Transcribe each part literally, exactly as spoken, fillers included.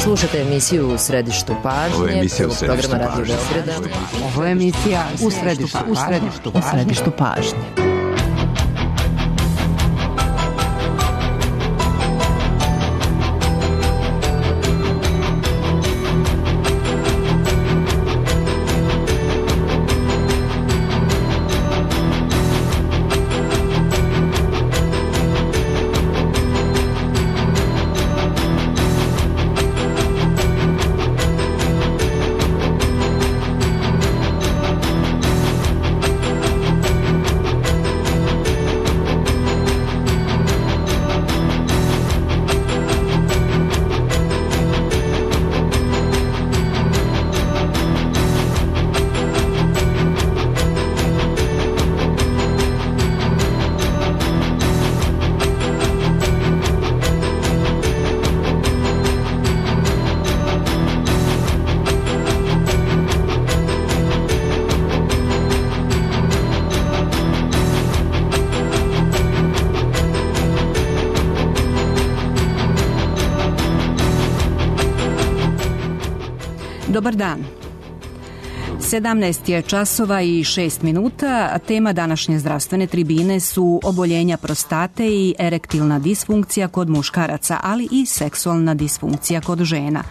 Slušate emisiju U središtu pažnje. Ovo je emisija U središtu pažnje. Ovo je emisija U središtu pažnje. U središtu, u središtu pažnje. Dobar dan. sedamnaest je časova i šest minuta, a tema današnje zdravstvene tribine su oboljenja prostate i erektilna disfunkcija kod muškaraca, ali i seksualna disfunkcija kod žena.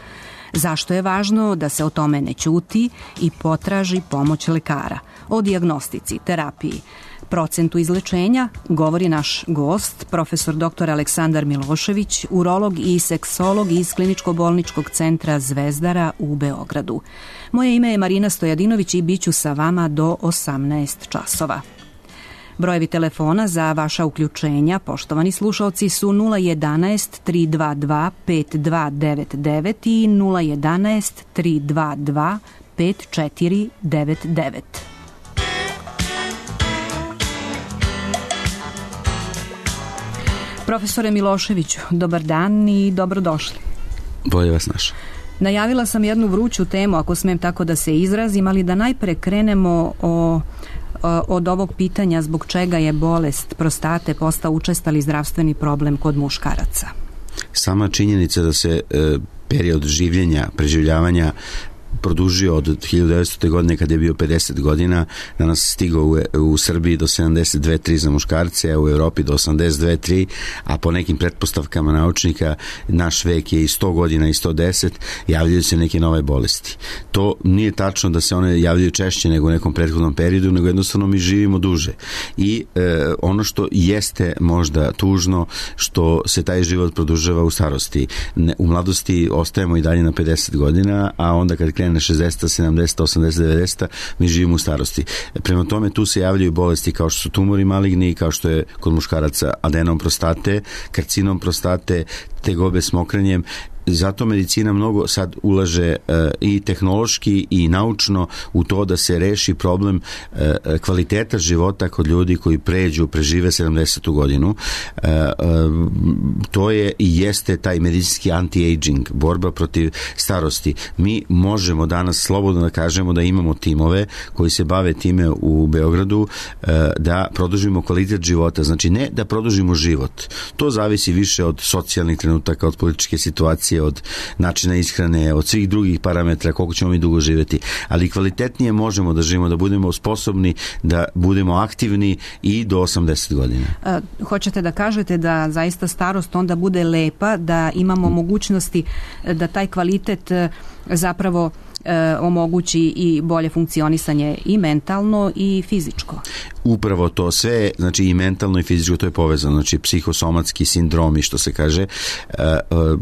Zašto je važno da se o tome ne ćuti i potraži pomoć lekara? O dijagnostici, terapiji, procentu izlečenja govori naš gost, profesor doktor Aleksandar Milošević, urolog i seksolog iz Kliničko-bolničkog centra Zvezdara u Beogradu. Moje ime je Marina Stojadinović i bit ću sa vama do osamnaest časova. Brojevi telefona za vaša uključenja, poštovani slušalci, su nula jedanaest tri dva dva pet dva devet devet i nula jedanaest tri dva dva pet četiri devet devet. Profesore Miloševiću, dobar dan i dobrodošli. Bolje vas naša. Najavila sam jednu vruću temu, ako smem tako da se izrazim, ali da najpre krenemo o, o, od ovog pitanja zbog čega je bolest prostate postao učestali zdravstveni problem kod muškaraca. Sama činjenica da se e, period življenja, preživljavanja produžio od hiljadu devetstotne godine kad je bio pedeset godina, danas stigao u, u Srbiji do sedamdeset dve zarez tri za muškarce, a u Europi do osamdeset dve zarez tri, a po nekim pretpostavkama naučnika naš vek je i sto godina i sto deset, javljaju se neke nove bolesti. To nije tačno da se one javljaju češće nego u nekom prethodnom periodu, nego jednostavno mi živimo duže. I e, ono što jeste možda tužno, što se taj život produžava u starosti. Ne, u mladosti ostajemo i dalje na pedeset godina, a onda kad krene šezdeset, sedamdeset, osamdeset, devedeset, mi živimo u starosti. Prema tome tu se javljaju bolesti kao što su tumori maligni, kao što je kod muškaraca adenom prostate, karcinom prostate, tegobe s mokrenjem. Zato medicina mnogo sad ulaže e, i tehnološki i naučno u to da se reši problem e, kvaliteta života kod ljudi koji pređu, prežive sedamdesetu godinu. E, e, to je i jeste taj medicinski anti-aging, borba protiv starosti. Mi možemo danas slobodno da kažemo da imamo timove koji se bave time u Beogradu, e, da produžimo kvalitet života. Znači ne da produžimo život. To zavisi više od socijalnih trenutaka, od političke situacije, od načina ishrane, od svih drugih parametra, koliko ćemo mi dugo živjeti. Ali kvalitetnije možemo da živimo, da budemo sposobni, da budemo aktivni i do osamdeset godina. E, hoćete da kažete da zaista starost onda bude lepa, da imamo mogućnosti da taj kvalitet zapravo e, omogući i bolje funkcionisanje i mentalno i fizičko? Upravo to sve, znači i mentalno i fizičko, to je povezano, znači psihosomatski sindromi, što se kaže, e, e,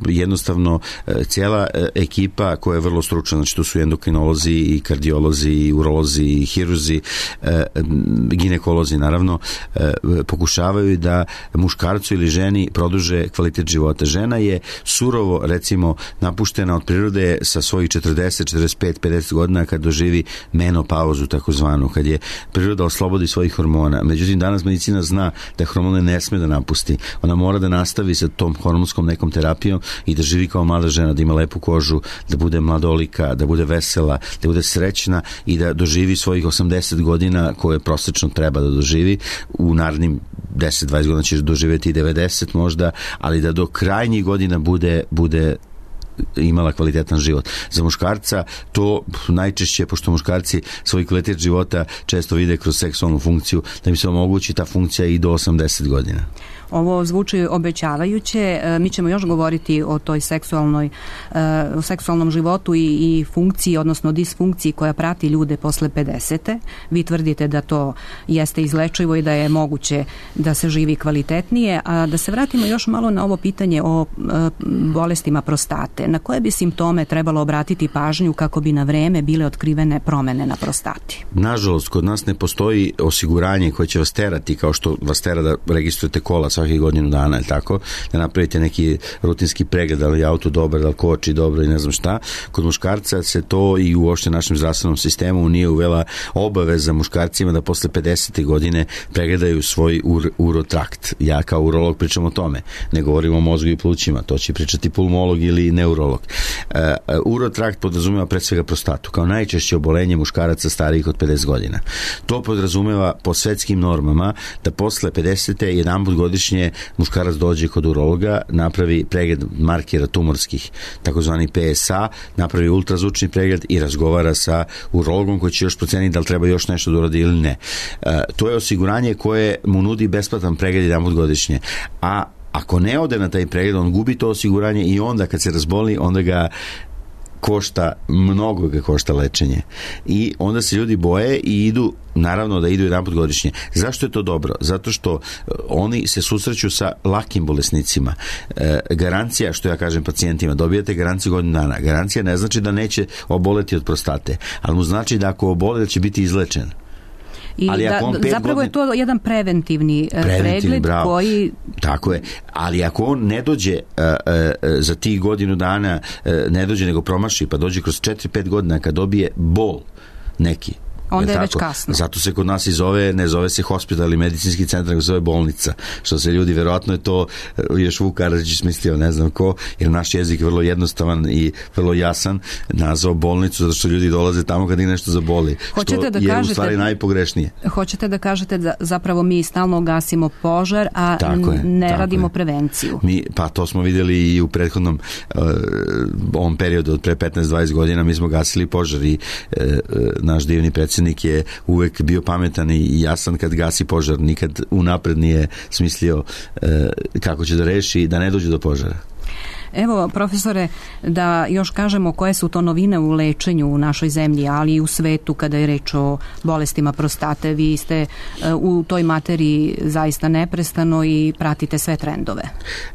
jednostavno e, cijela e, ekipa koja je vrlo stručna, znači tu su endokrinolozi i kardiolozi i urolozi i hirurzi, e, ginekolozi naravno, e, pokušavaju da muškarcu ili ženi produže kvalitet života. Žena je surovo, recimo, napuštena od prirode sa svojih četrdeset, četrdeset pet, pedeset godina kad doživi menopauzu takozvanu, kad je priroda oslobodi svojih hormona. Međutim, danas medicina zna da hormone ne sme da napusti. Ona mora da nastavi sa tom hormonskom nekom terapijom i da živi kao mlada žena, da ima lepu kožu, da bude mladolika, da bude vesela, da bude srećna i da doživi svojih osamdeset godina koje prosečno treba da doživi. U narednim deset dvadeset godina će doživjeti i devedeset možda, ali da do krajnjih godina bude, bude imala kvalitetan život. Za muškarca to najčešće, pošto muškarci svoj kvalitet života često vide kroz seksualnu funkciju, da im se omogući ta funkcija i do osamdeset godina. Ovo zvuči obećavajuće. Mi ćemo još govoriti o toj seksualnoj, o seksualnom životu i, i funkciji, odnosno disfunkciji koja prati ljude posle pedesete. Vi tvrdite da to jeste izlečivo i da je moguće da se živi kvalitetnije. A da se vratimo još malo na ovo pitanje o bolestima prostate. Na koje bi simptome trebalo obratiti pažnju kako bi na vreme bile otkrivene promene na prostati? Nažalost, kod nas ne postoji osiguranje koje će vas terati, kao što vas tera da registrujete kola svakih godinu dana, ili tako, da napravite neki rutinski pregled, da li je auto dobar, da li koči dobro i ne znam šta. Kod muškarca se to i uopšte našem zdravstvenom sistemu nije uvela obaveza muškarcima da posle pedesete godine pregledaju svoj ur, urotrakt. Ja kao urolog pričam o tome. Ne govorim o mozgu i plućima, to će pričati pulmolog ili neurolog. Uh, urotrakt podrazumeva pre svega prostatu, kao najčešće obolenje muškaraca starijih od pedeset godina. To podrazumeva po svetskim normama da posle pedesete jedanput godišnje muškarac dođe kod urologa, napravi pregled markera tumorskih, takozvani P S A, napravi ultrazvučni pregled i razgovara sa urologom koji će još proceniti da li treba još nešto da uradi ili ne. E, to je osiguranje koje mu nudi besplatan pregled jedanput godišnje. A ako ne ode na taj pregled, on gubi to osiguranje i onda kad se razboli, onda ga košta, mnogo ga košta lečenje. I onda se ljudi boje i idu, naravno da idu jedanput godišnje. Zašto je to dobro? Zato što oni se susreću sa lakim bolesnicima. E, garancija, što ja kažem pacijentima, dobijate garanciju godinu dana. Garancija ne znači da neće oboleti od prostate, ali mu znači da ako oboli da će biti izlečen. I ali da, zapravo godin... je to jedan preventivni, preventivni pregled bravo. koji... Tako je, ali ako on ne dođe uh, uh, za tih godinu dana, uh, ne dođe nego promaši, pa dođe kroz četiri pet godina kad dobije bol neki, onda je, je već kasno. Zato se kod nas i zove, ne zove se hospital ili medicinski centar, nego zove bolnica. Što se ljudi, verovatno je to još Vuk Karadžić smislio, ne znam ko, jer naš jezik je vrlo jednostavan i vrlo jasan, nazvao bolnicu zato što ljudi dolaze tamo kad ih nešto zaboli. Hoćete što da je kažete, u stvari najpogrešnije. Hoćete da kažete da zapravo mi stalno gasimo požar, a tako je, ne radimo je. prevenciju. Mi, pa to smo vidjeli i u prethodnom uh, ovom periodu od pre petnaest dvadeset godina mi smo gasili požar i uh, naš divni predsjednik je uvek bio pametan i jasan kad gasi požar, nikad unapred nije smislio e, kako će da reši da ne dođe do požara. Evo, profesore, da još kažemo koje su to novine u lečenju u našoj zemlji, ali i u svetu kada je reč o bolestima prostate. Vi ste u toj materiji zaista neprestano i pratite sve trendove.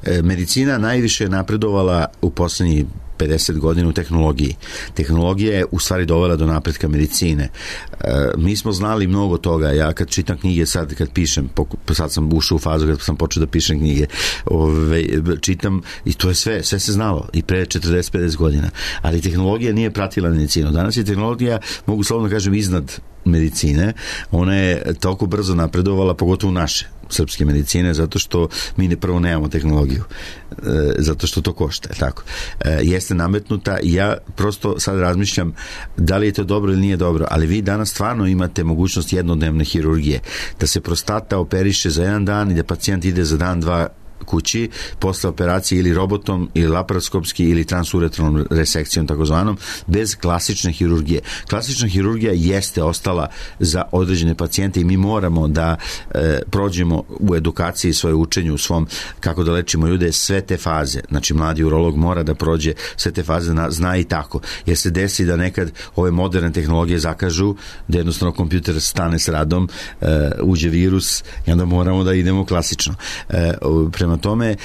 E, medicina najviše je napredovala u poslednjih pedeset godina u tehnologiji. Tehnologija je u stvari dovela do napretka medicine. E, mi smo znali mnogo toga. Ja kad čitam knjige, sad kad pišem, sad sam ušao u fazu kad sam počeo da pišem knjige, ove, čitam i to je sve, sve se znalo i pre četrdeset pedeset godina. Ali tehnologija nije pratila medicinu. Danas je tehnologija, mogu slobodno kažem, iznad medicine. Ona je toliko brzo napredovala, pogotovo naše srpske medicine, zato što mi ne prvo nemamo tehnologiju, e, zato što to košta, tako. E, jeste nametnuta i ja prosto sad razmišljam da li je to dobro ili nije dobro, ali vi danas stvarno imate mogućnost jednodnevne hirurgije, da se prostata operiše za jedan dan i da pacijent ide za dan, dva kući posle operacije ili robotom ili laparoskopski ili transuretralnom resekcijom takozvanom, bez klasične hirurgije. Klasična hirurgija jeste ostala za određene pacijente i mi moramo da e, prođemo u edukaciji, svoje učenju, u svom kako da lečimo ljude sve te faze. Znači mladi urolog mora da prođe sve te faze, na, zna i tako. Jer se desi da nekad ove moderne tehnologije zakažu, da jednostavno kompjuter stane s radom, e, uđe virus i onda moramo da idemo klasično. E, prema tome,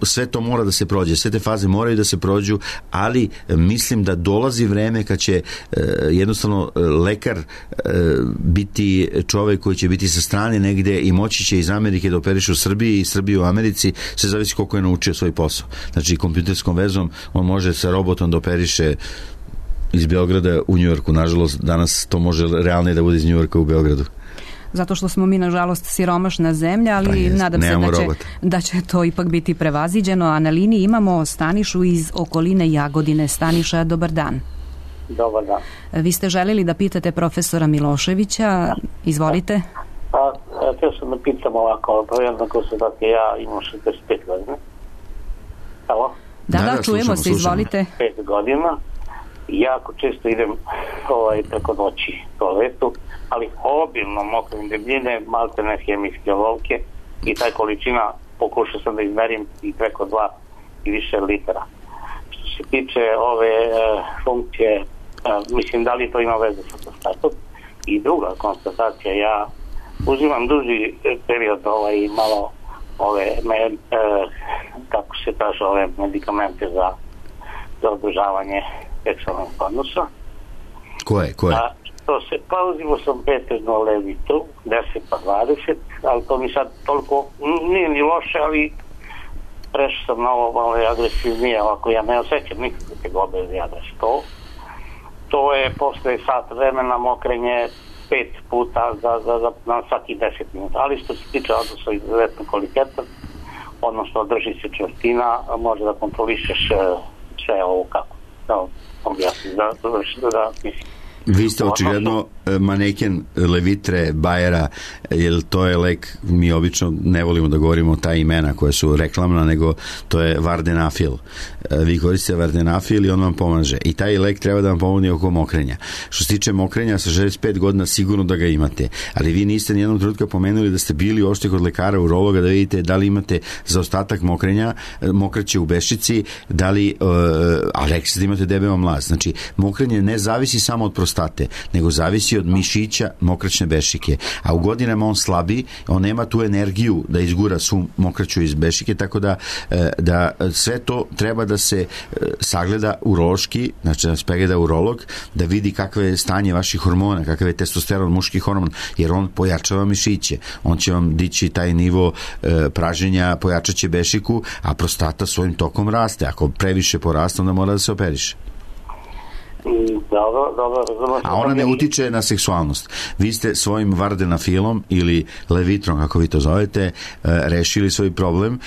sve to mora da se prođe, sve te faze moraju da se prođu, ali mislim da dolazi vreme kad će jednostavno lekar biti čovek koji će biti sa strane negde i moći će iz Amerike da operiše u Srbiji i Srbiji u Americi, sve zavisi koliko je naučio svoj posao. Znači, kompjuterskom vezom on može sa robotom da operiše iz Beograda u Njujorku. Nažalost, danas to može realnije da bude iz Njujorka u Beogradu. Zato što smo mi, nažalost, siromašna zemlja, ali pa jest, nadam se da će, da će to ipak biti prevaziđeno. A na liniji imamo Stanišu iz okoline Jagodine. Staniša, dobar dan. Dobar dan. Vi ste želeli da pitate profesora Miloševića. Izvolite. Pa, htio sam da pitam ovako, jednako se da ja imam šezdeset pet godina. Halo? Da, da, da čujemo se, izvolite. Pet godina. Jako često idem ovaj, preko noći toaletu, ali obilno mokrim debljine, malte ne hemijske olovke i taj količina pokušao sam da izmerim i preko dva i više litara. Što se tiče ove e, funkcije, e, mislim da li to ima veze sa prostatom. I druga konstatacija, ja uzimam duži period ovaj, malo ove me, e, kako se kaže, ove medikamente za, za održavanje seksualnog odnosa. Koje, koje? A, to se, pa uzimo sam Peterno Levitu, deset pa dvadeset, ali to mi sad toliko nije ni loše, ali prešao sam na ovo malo agresivnije, ovako ja ne osjećam nikakve tegobe ja da što. To je posle sat vremena mokrenje pet puta za, za, za, na svaki deset minuta, ali što se tiče odnosa izuzetno kvalitetan, odnosno drži se čvrstina, može da kontrolišeš sve ovo kako da objasnim, da, da, da mislim. Vi ste očigledno maneken Levitre, Bayera, jer to je lek, mi obično ne volimo da govorimo ta imena koja su reklamna, nego to je Vardenafil. Vi koristite Vardenafil i on vam pomaže. I taj lek treba da vam pomogne oko mokrenja. Što se tiče mokrenja, sa šezdeset pet godina sigurno da ga imate, ali vi niste nijednog trenutka pomenuli da ste bili ošte kod lekara, urologa, da vidite da li imate zaostatak mokrenja, mokraće u bešici, da li, uh, a rekli ste da imate debeo mlaz. Znači, mokrenje ne zavisi samo od prostate, nego zavisi od mišića mokraćne bešike, a u godinama on slabi, on nema tu energiju da izgura svu mokraću iz bešike, tako da, da sve to treba da se sagleda urološki, znači da se pregleda urolog, da vidi kakve je stanje vaših hormona, kakav je testosteron, muški hormon, jer on pojačava mišiće, on će vam dići taj nivo praženja, pojačat će bešiku, a prostata svojim tokom raste, ako previše poraste, onda mora da se operiše. Dobro, dobro, razumno. A ona ne utiče na seksualnost. Vi ste svojim Vardenafilom ili Levitrom, kako vi to zovete, rešili svoj problem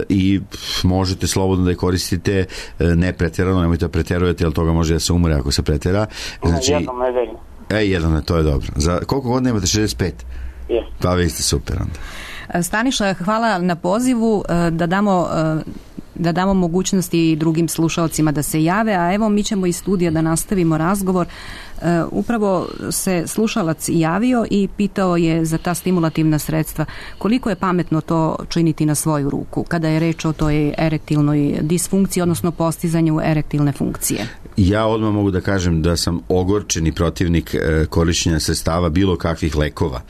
i možete slobodno da je koristite, ne pretjerano, nemojte da pretjerujete, jer toga može da se umre ako se pretjera. Znači, jednom nedeljno. E, jednom, to je dobro. Za koliko godina imate? šezdeset pet? Je. Pa vi ste super onda. Staniša, hvala na pozivu, da damo da damo mogućnosti drugim slušalcima da se jave, a evo mi ćemo iz studija da nastavimo razgovor. E, upravo se slušalac javio i pitao je za ta stimulativna sredstva koliko je pametno to činiti na svoju ruku kada je reč o toj erektilnoj disfunkciji, odnosno postizanju erektilne funkcije. Ja odmah mogu da kažem da sam ogorčeni protivnik e, korišćenja sredstava bilo kakvih lekova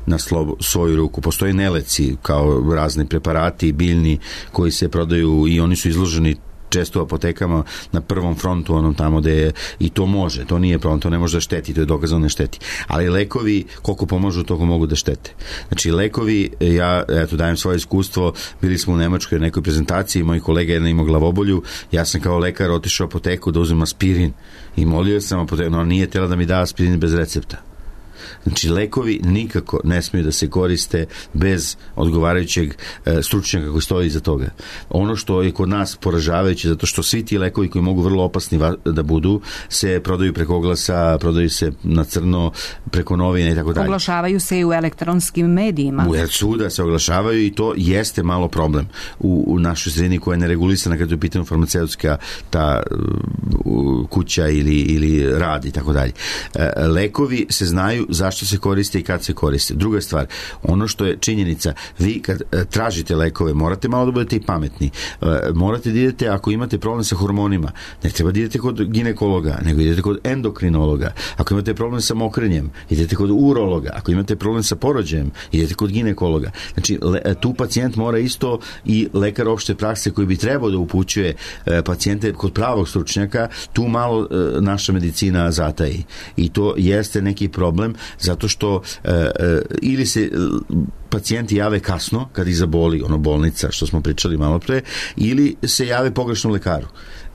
na slobo, svoju ruku. Postoje neleci kao razni preparati biljni koji se prodaju i oni su izloženi često u apotekama na prvom frontu, onom tamo gde je, i to može, to nije problem, to ne može da šteti, to je dokazano ne šteti. Ali lekovi, koliko pomažu, toliko mogu da štete. Znači, lekovi, ja, eto, dajem svoje iskustvo, bili smo u Nemačkoj nekoj prezentaciji, moj kolega jedna imao glavobolju, ja sam kao lekar otišao u apoteku da uzmem aspirin i molio sam apoteku, no nije tela da mi da aspirin bez recepta. Znači, lekovi nikako ne smiju da se koriste bez odgovarajućeg e, stručnjaka koji stoji iza toga. Ono što je kod nas poražavajuće, zato što svi ti lekovi koji mogu vrlo opasni va, da budu, se prodaju preko oglasa, prodaju se na crno, preko novina i tako dalje. Oglašavaju se i u elektronskim medijima. U svuda se oglašavaju i to jeste malo problem u, u našoj sredini koja je neregulisana kada je u pitanju farmaceutska ta uh, kuća ili, ili rad i tako dalje. E, lekovi se znaju zašto se koriste i kad se koriste. Druga stvar, ono što je činjenica, vi kad e, tražite lekove, morate malo da budete i pametni. E, morate da idete, ako imate problem sa hormonima, ne treba da idete kod ginekologa, nego idete kod endokrinologa. Ako imate problem sa mokrenjem, idete kod urologa. Ako imate problem sa porođajem, idete kod ginekologa. Znači, le, tu pacijent mora isto i lekar opšte prakse koji bi trebao da upućuje e, pacijente kod pravog stručnjaka, tu malo e, naša medicina zataji. I to jeste neki problem, zato što e, e, ili se pacijenti jave kasno kad ih zaboli, ono bolnica što smo pričali malo pre, ili se jave pogrešnom lekaru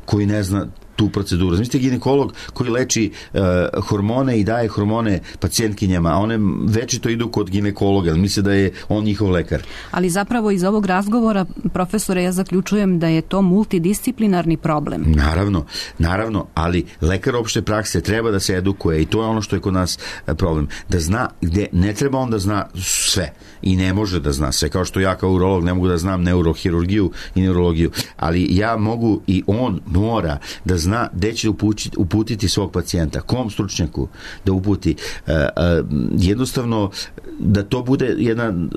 koji ne zna tu proceduru. Zamislite ginekolog koji leči uh, hormone i daje hormone pacijentkinjama, a one večito idu kod ginekologa, misle da je on njihov lekar. Ali zapravo iz ovog razgovora, profesore, ja zaključujem da je to multidisciplinarni problem. Naravno, naravno, ali lekar opšte prakse treba da se edukuje i to je ono što je kod nas problem. Da zna gde ne treba on da zna sve i ne može da zna sve, kao što ja kao urolog ne mogu da znam neurohirurgiju i neurologiju, ali ja mogu i on mora da zna gde će uputiti, uputiti svog pacijenta, kom stručnjaku da uputi. Uh, uh, jednostavno da to bude jedan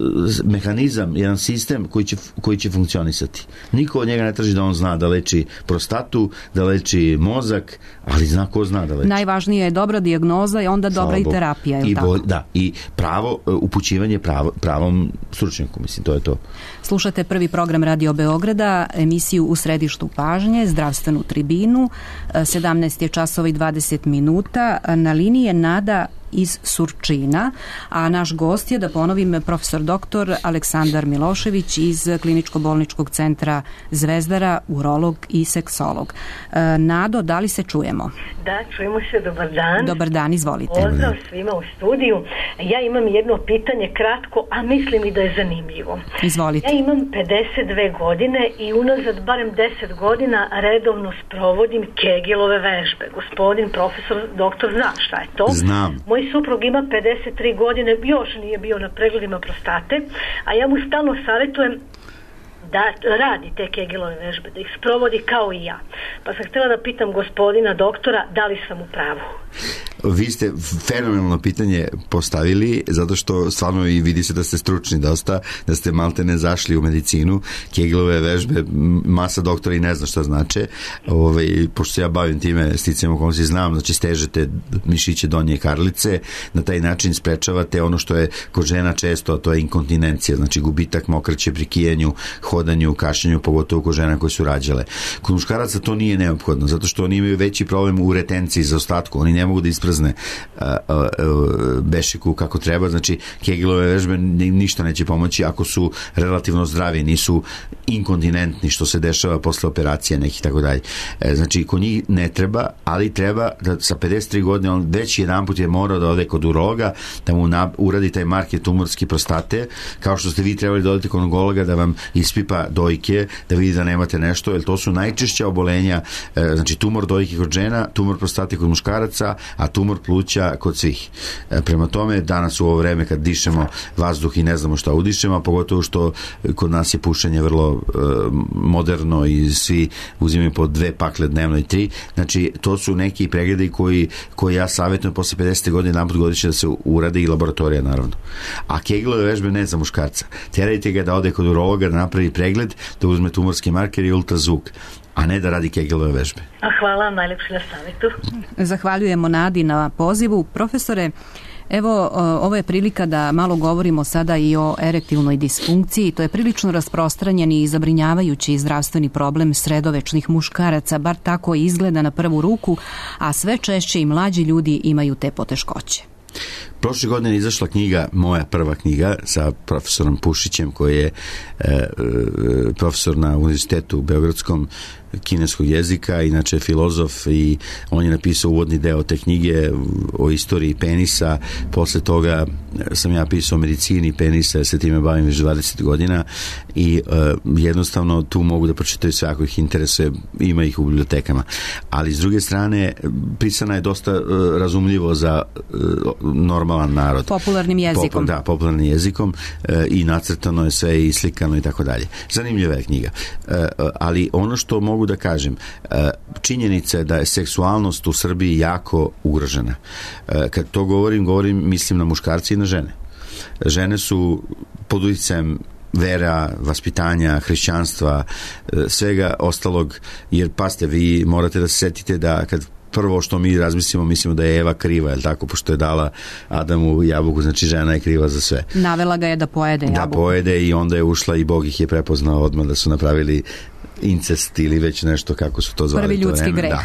mehanizam, jedan sistem koji će, koji će funkcionisati. Niko od njega ne traži da on zna da leči prostatu, da leči mozak, ali zna ko zna da leči. Najvažnija je dobra dijagnoza i onda dobra i terapija, je li tako? Da, i pravo upućivanje pravo, pravom stručnjaku, mislim, to je to. Slušate prvi program Radio Beograda, emisiju U središtu pažnje, zdravstvenu tribinu, sedamnaest je časova i dvadeset minuta, na liniji je Nada iz Surčina, a naš gost je, da ponovim, profesor doktor Aleksandar Milošević iz Kliničko-bolničkog centra Zvezdara, urolog i seksolog. Nado, da li se čujemo? Da, čujemo se, dobar dan. Dobar dan, izvolite. Pozdrav svima u studiju. Ja imam jedno pitanje kratko, a mislim i da je zanimljivo. Izvolite. Ja imam pedeset dve godine i unazad barem deset godina redovno sprovodim Kegelove vežbe. Gospodin profesor doktor zna šta je to. Znam. Moj suprug ima pedeset tri godine, još nije bio na pregledima prostate, a ja mu stalno savjetujem da radi te Kegelove vežbe, da ih sprovodi kao i ja. Pa sam htjela da pitam gospodina doktora da li sam u pravu. Vi ste fenomenalno pitanje postavili, zato što stvarno i vidi se da ste stručni dosta, da ste malte ne zašli u medicinu. Kegelove vežbe, masa doktora i ne zna šta znače. Ove, pošto se ja bavim time, sticajem okolnosti znam, znači stežete mišiće donje karlice, na taj način sprečavate ono što je kod žena često, a to je inkontinencija, znači gubitak mokraće pri kijenju, hodanju, kašljanju, pogotovo kod žena koje su rađale. Kod muškaraca to nije neophodno, zato što oni imaju veći problem u retenciji za ostatku, oni ne mogu da isprazne a, a, a, bešiku kako treba, znači Kegelove vežbe ništa neće pomoći ako su relativno zdravi, nisu inkontinentni, što se dešava posle operacije nekih tako dalje. Znači kod njih ne treba, ali treba da sa pedeset tri godine on već jedan put je morao da ode kod urologa, da mu na, uradi taj marker tumorski prostate, kao što ste vi trebali da odete kod onkologa da vam ispipa dojke, da vidi da nemate nešto, jer to su najčešća obolenja, znači tumor dojke kod žena, tumor prostate kod muškaraca, a tumor pluća kod svih. Prema tome, danas u ovo vreme kad dišemo vazduh i ne znamo šta udišemo, a pogotovo što kod nas je pušenje vrlo uh, moderno i svi uzimaju po dve pakle dnevno i tri, znači to su neki pregledi koji, koji ja savjetujem posle pedeset godine naput godišnje da se urade i laboratorija naravno. A Kegelove vežbe ne za muškarca. Terajte ga da ode kod urologa da napravi pregled, da uzme tumorski marker i ultrazvuk, a ne da radi Kegelove vežbe. A hvala vam najlepše na savjetu. Zahvaljujemo Nadi na pozivu. Profesore, evo, ovo je prilika da malo govorimo sada i o erektilnoj disfunkciji. To je prilično rasprostranjen i zabrinjavajući zdravstveni problem sredovečnih muškaraca, bar tako izgleda na prvu ruku, a sve češće i mlađi ljudi imaju te poteškoće. Prošle godine je izašla knjiga, moja prva knjiga sa profesorom Pušićem, koji je e, profesor na Univerzitetu Beogradskom kineskog jezika, inače filozof, i on je napisao uvodni deo te knjige o istoriji penisa. Posle toga sam ja pisao o medicini penisa, ja se time bavim već dvadeset godina i e, jednostavno tu mogu da pročitaju sve ako ih interesuje, ima ih u bibliotekama. Ali s druge strane, pisana je dosta e, razumljivo za e, normalan narod. Popularnim jezikom. Popul, da, popularnim jezikom e, i nacrtano je sve i slikano i tako dalje. Zanimljiva je knjiga. E, ali ono što mogu da kažem, činjenica je da je seksualnost u Srbiji jako ugrožena. Kad to govorim, govorim, mislim na muškarce i na žene. Žene su pod uticajem vera, vaspitanja, hrišćanstva, svega ostalog, jer paste, vi morate da se setite da kad prvo što mi razmislimo, mislimo da je Eva kriva, je li tako, pošto je dala Adamu jabuku, znači žena je kriva za sve. Navela ga je da pojede jabuku. Da pojede i onda je ušla i Bog ih je prepoznao odmah da su napravili incest ili već nešto kako su to zvali. Prvi ljudski greh. Da.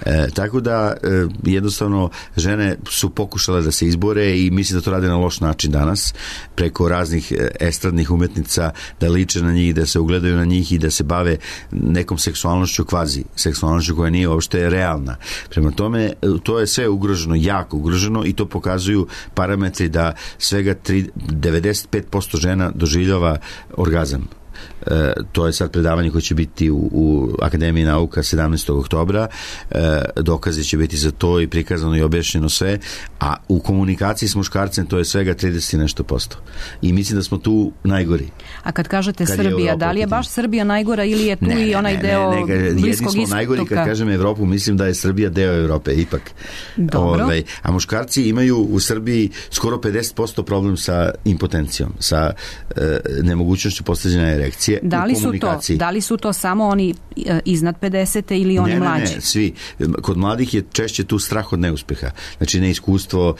E, tako da e, jednostavno žene su pokušale da se izbore i mislim da to rade na loš način danas, preko raznih estradnih umetnica, da liče na njih, da se ugledaju na njih i da se bave nekom seksualnošću, kvazi seksualnošću koja nije uopšte realna. Prema tome, to je sve ugroženo, jako ugroženo i to pokazuju parametri da svega devedeset pet posto žena doživljava orgazam. E, to je sad predavanje koje će biti u, u Akademiji nauka sedamnaestog oktobra. E, dokazi će biti za to i prikazano i objašnjeno sve, a u komunikaciji s muškarcem to je svega trideset nešto posto. I mislim da smo tu najgori. A kad kažete kad Srbija, da li je baš Srbija najgora ili je tu ne, i onaj ne, deo ne, ne, ne, Bliskog istoka? Najgori kad kažem Evropu, mislim da je Srbija deo Evrope, ipak. Dobro. Ove, a muškarci imaju u Srbiji skoro pedeset posto problem sa impotencijom, sa e, nemogućnošću postavljanja erekcije. Da li, su to, da li su to samo oni iznad pedeset ili oni ne, mlađi? Ne, ne, svi. Kod mladih je češće tu strah od neuspeha. Znači neiskustvo,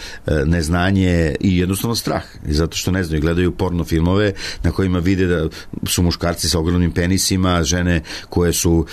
neznanje i jednostavno strah. Zato što ne znaju, gledaju porno filmove na kojima vide da su muškarci sa ogromnim penisima, žene koje su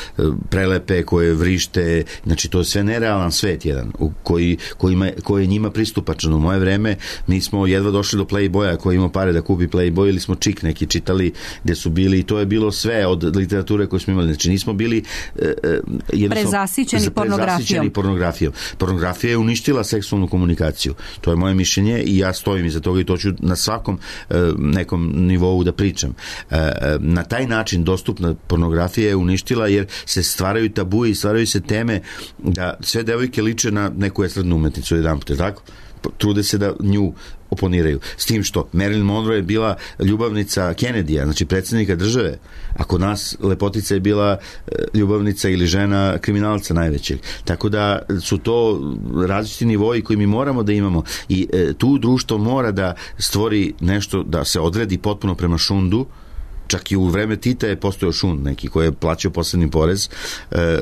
prelepe, koje vrište. Znači to je sve nerealan svet jedan u koji, kojima, koji je njima pristupačan. U moje vreme mi smo jedva došli do Playboya koji ima pare da kupi Playboy ili smo čik neki čitali gde su bili i to je bilo sve od literature koju smo imali. Znači nismo bili e, prezasićeni pornografijom. pornografijom. Pornografija je uništila seksualnu komunikaciju. To je moje mišljenje i ja stojim iza toga i to ću na svakom e, nekom nivou da pričam. E, na taj način dostupna pornografija je uništila jer se stvaraju tabu i stvaraju se teme da sve devojke liče na neku estradnu umetnicu jedan put, tako? Trude se da nju oponiraju. S tim što Marilyn Monroe je bila ljubavnica Kennedyja, znači predsjednika države, a kod nas lepotica je bila ljubavnica ili žena kriminalca najvećeg. Tako da su to različiti nivoji koji mi moramo da imamo i e, tu društvo mora da stvori nešto, da se odredi potpuno prema šundu. Čak i u vreme Tita je postojao šund neki koji je plaćao posebni porez, e,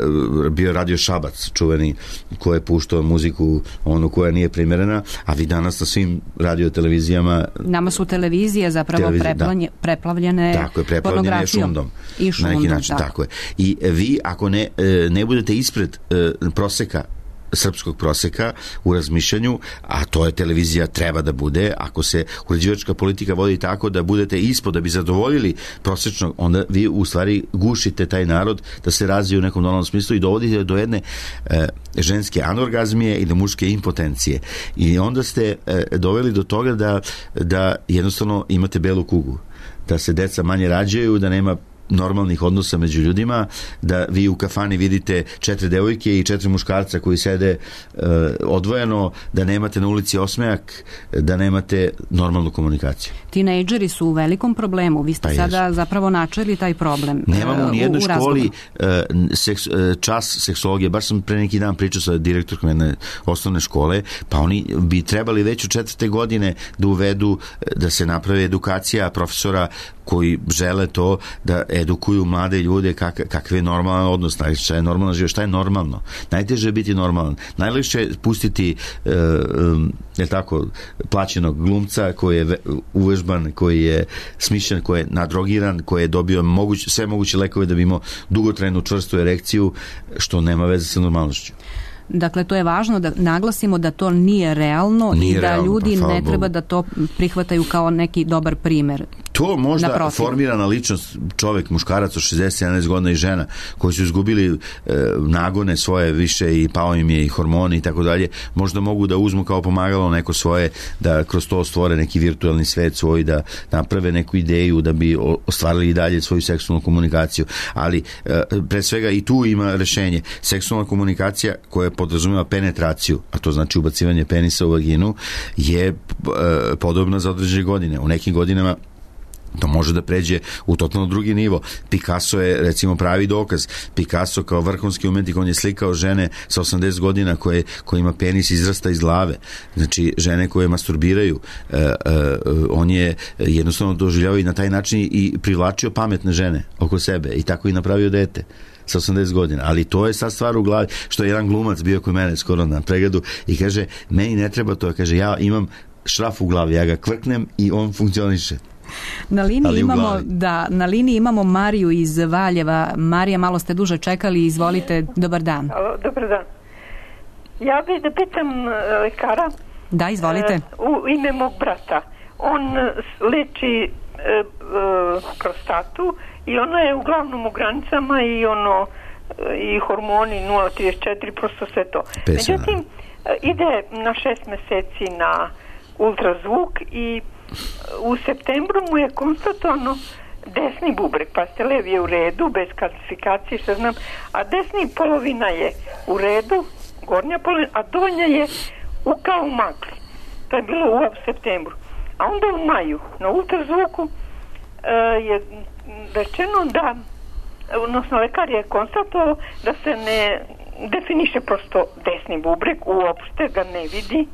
bio radio Šabac čuveni koji je puštao muziku onu koja nije primjerena, a vi danas na svim radio televizijama nama su televizije zapravo televizije, preplavlje, da. preplavljene tako je, preplavljene šundom i šundom, na neki način, tako. tako je. I vi ako ne, ne budete ispred e, proseka srpskog proseka u razmišljanju, a to je televizija treba da bude, ako se uređivačka politika vodi tako da budete ispod da bi zadovoljili prosečnog, onda vi u stvari gušite taj narod da se razvije u nekom normalnom smislu i dovodite do jedne e, ženske anorgazmije i do muške impotencije. I onda ste e, doveli do toga da, da jednostavno imate belu kugu, da se deca manje rađaju, da nema normalnih odnosa među ljudima, da vi u kafani vidite četiri devojke i četiri muškarca koji sede e, odvojeno, da nemate na ulici osmejak, da nemate normalnu komunikaciju. Tinejdžeri su u velikom problemu. Vi ste pa sada jesu. zapravo načeli taj problem. Nemamo u nijednoj u, u školi e, seks, e, čas seksologije. Baš sam pre neki dan pričao sa direktorkom jedne osnovne škole, pa oni bi trebali već u četvrte godine da uvedu, da se napravi edukacija profesora koji žele to da edukuju mlade ljude kak, kakve je normalan odnos, šta je normalno život, šta je normalno. Najteže je biti normalan. Najlakše je pustiti e, je tako, plaćenog glumca koji je uvežban, koji je smišljen, koji je nadrogiran, koji je dobio moguć, sve moguće lekove da bi imao dugotrajnu čvrstu erekciju, što nema veze sa normalnošću. Dakle, to je važno da naglasimo da to nije realno nije i da realno, ljudi pa, ne treba da to prihvataju kao neki dobar primer. To možda formirana ličnost, čovjek, muškarac od šezdeset sedamnaest godina i žena koji su izgubili e, nagone svoje više i pao im je i hormoni i tako dalje, možda mogu da uzmu kao pomagalo neko svoje, da kroz to stvore neki virtualni svet svoj, da naprave neku ideju da bi ostvarili i dalje svoju seksualnu komunikaciju. Ali e, pre svega i tu ima rešenje. Seksualna komunikacija koja podrazumeva penetraciju, a to znači ubacivanje penisa u vaginu, je e, podobna za određene godine. U nekim godinama to može da pređe u totalno drugi nivo. Picasso je recimo pravi dokaz. Picasso kao vrhunski umetnik, on je slikao žene sa osamdeset godina koje, kojima penis izrasta iz glave. Znači žene koje masturbiraju. E, e, on je jednostavno doživljavao i na taj način i privlačio pametne žene oko sebe i tako i napravio dete sa osamdeset godina, ali to je sad stvar u glavi, što je jedan glumac bio kod mene skoro na pregledu i kaže, meni ne treba to, kaže, ja imam šraf u glavi, ja ga kvrknem i on funkcioniše. Na liniji imamo, da, na liniji imamo Mariju iz Valjeva. Marija, malo ste duže čekali, izvolite, dobar dan. Alo, dobar dan. Ja bih da pitam lekara. Da, izvolite. U ime mog brata. On leči prostatu i ona je uglavnom u granicama i ono i hormoni nula zarez trideset četiri, prosto sve to. Međutim, ide na šest meseci na ultrazvuk i u septembru mu je konstatovano desni bubreg, pa ste levi je u redu, bez kalcifikacije, što znam, a desni polovina je u redu, gornja polovina, a donja je u kao magli. To je bilo u septembru. A onda u maju na ultrazvuku uh, je rečeno da, odnosno lekar je konstatovao da se ne definiše prosto desni bubreg, uopšte ga ne vidi,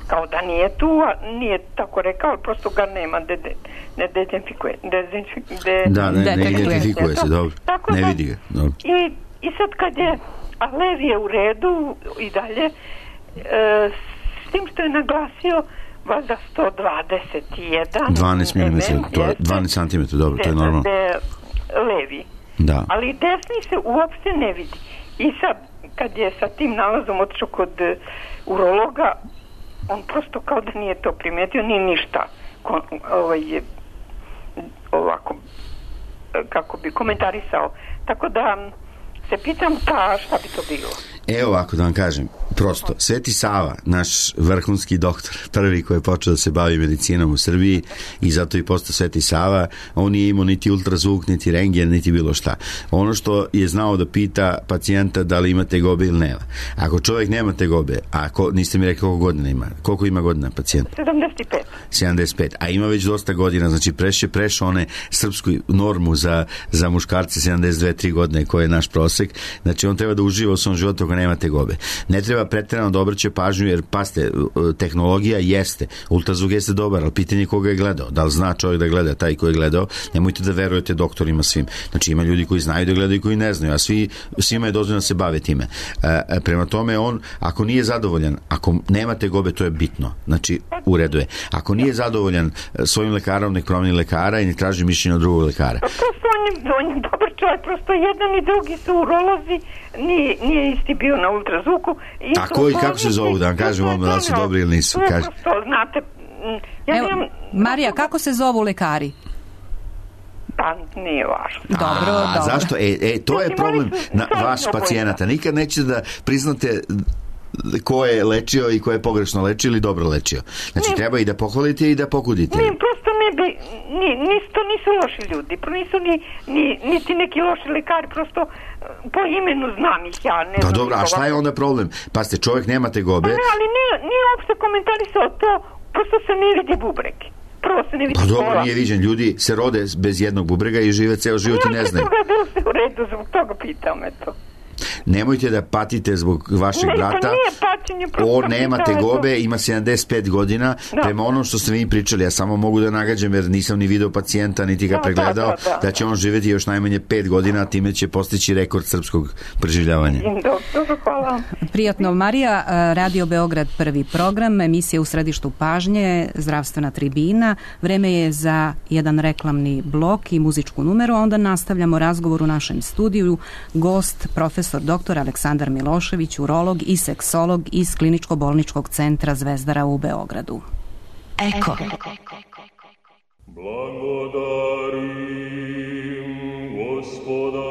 kao da nije tu, a nije tako rekao, ali prosto ga nema, de, de, ne dezinfikuje. De, da, ne, ne identifikuje se, dobro. Tako ne da, vidi ga. Dobro. I, I sad kad je, a lev je u redu i dalje, e, s tim što je naglasio valjda sto dvadeset jedan dvanaest milimetara, to je dvanaest centimetara, dobro, to je normalno. De, levi. Da. Ali desni se uopšte ne vidi. I sad, kad je sa tim nalazom otišao kod urologa, on prosto kao da nije to primetio, ni ništa kon, ovaj, ovako, kako bi komentarisao. Tako da se pitam, pa šta bi to bilo? Evo ovako da vam kažem, prosto, Sveti Sava, naš vrhunski doktor, prvi koji je počeo da se bavi medicinom u Srbiji i zato i postao Sveti Sava, on nije imao niti ultrazvuk, niti rentgen, niti bilo šta. Ono što je znao da pita pacijenta da li ima tegobe ili nema. Ako čovjek nema tegobe, a ko, niste mi rekli koliko godina ima, koliko ima godina pacijent? sedamdeset pet. sedamdeset pet, a ima već dosta godina, znači preše prešao one srpsku normu za, za muškarce sedamdeset dve tri godine koje je naš prosek, znači on treba da uživa u svom životu ako nema tegobe. Ne treba pretjerano da obraća pažnju, jer paste, tehnologija jeste, ultrazvuk jeste dobar, ali pitanje je koga je gledao, da li zna čovjek da gleda, taj koji je gledao, nemojte da verujete doktorima svim, znači ima ljudi koji znaju da gledaju i koji ne znaju, a svi, svima je dozvoljeno da se bave time. E, prema tome on, ako nije zadovoljan, ako nema tegobe, to je bitno, znači u redu je. Ako nije zadovoljan svojim lekarom, nek promeni lekara i ne traži mišljenje od drugog lekara. Prosto on je, on je dobar čovjek, prosto jedan i drugi su urolozi, nije, nije isti bio na ultrazvuku. Tako i kako se zovu, da vam kažem odmah da su dobri ili nisu. Prosto, znate, ja Evo, nemam... Marija, kako se zovu lekari? Pa nije važno. Dobro, A, dobro. Zašto? E, e, to je problem na vaš pacijenata. Nikad nećete da priznate ko je lečio i ko je pogrešno lečio ili dobro lečio. Znači, ne, treba i da pohvalite i da pokudite. Ne, prosto ne bi, ni, nisto nisu loši ljudi, nisu ni, ni, niti neki loši lekari, prosto po imenu znam ih ja. Ne pa dobro, a šta je onda problem? Pa ste, čovjek nema tegobe. Pa ne, ali nije, nije uopšte komentarisao to, prosto se ne vidi bubreg. Prvo se ne vidi pa dobro, pola. Nije viđen. Ljudi se rode bez jednog bubrega i žive ceo život i ne znaju. Ja se toga da se u redu, zbog toga pitam, eto. Nemojte da patite zbog vašeg ne, brata. Paćenje, on nema tegobe, ima sedamdeset pet godina. Da. Prema onom što ste mi pričali, ja samo mogu da nagađam jer nisam ni video pacijenta, niti ga da, pregledao, da, da, da. da će on živjeti još najmanje pet godina, a time će postići rekord srpskog preživljavanja. Dobro, hvala. Prijatno, Marija, Radio Beograd, prvi program, emisija u središtu pažnje, zdravstvena tribina. Vreme je za jedan reklamni blok i muzičku numeru, a onda nastavljamo razgovor u našem studiju. Gost, profesor doktor Aleksandar Milošević, urolog i seksolog iz Kliničko-bolničkog centra Zvezdara u Beogradu. Eko. Blagodarim Gospoda.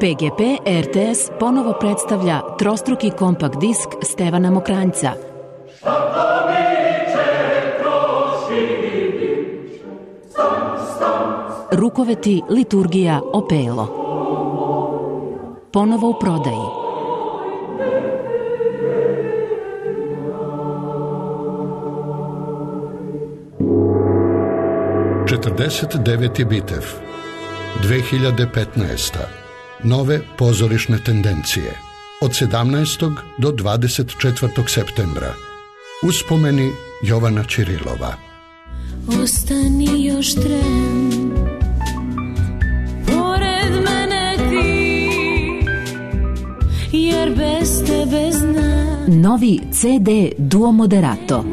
P G P R T S ponovo predstavlja trostruki kompakt disk Stevana Mokranjca. Rukoveti, liturgija, opelo. Ponovo u prodaji. četrdeset deveti Bitev, dve hiljade petnaesta. Nove pozorišne tendencije. Od sedamnaestog do dvadeset četvrtog septembra. Uspomeni Jovana Ćirilova. Ostani još tren, pored mene ti, jer bez tebe znam. Novi C D Duo Moderato.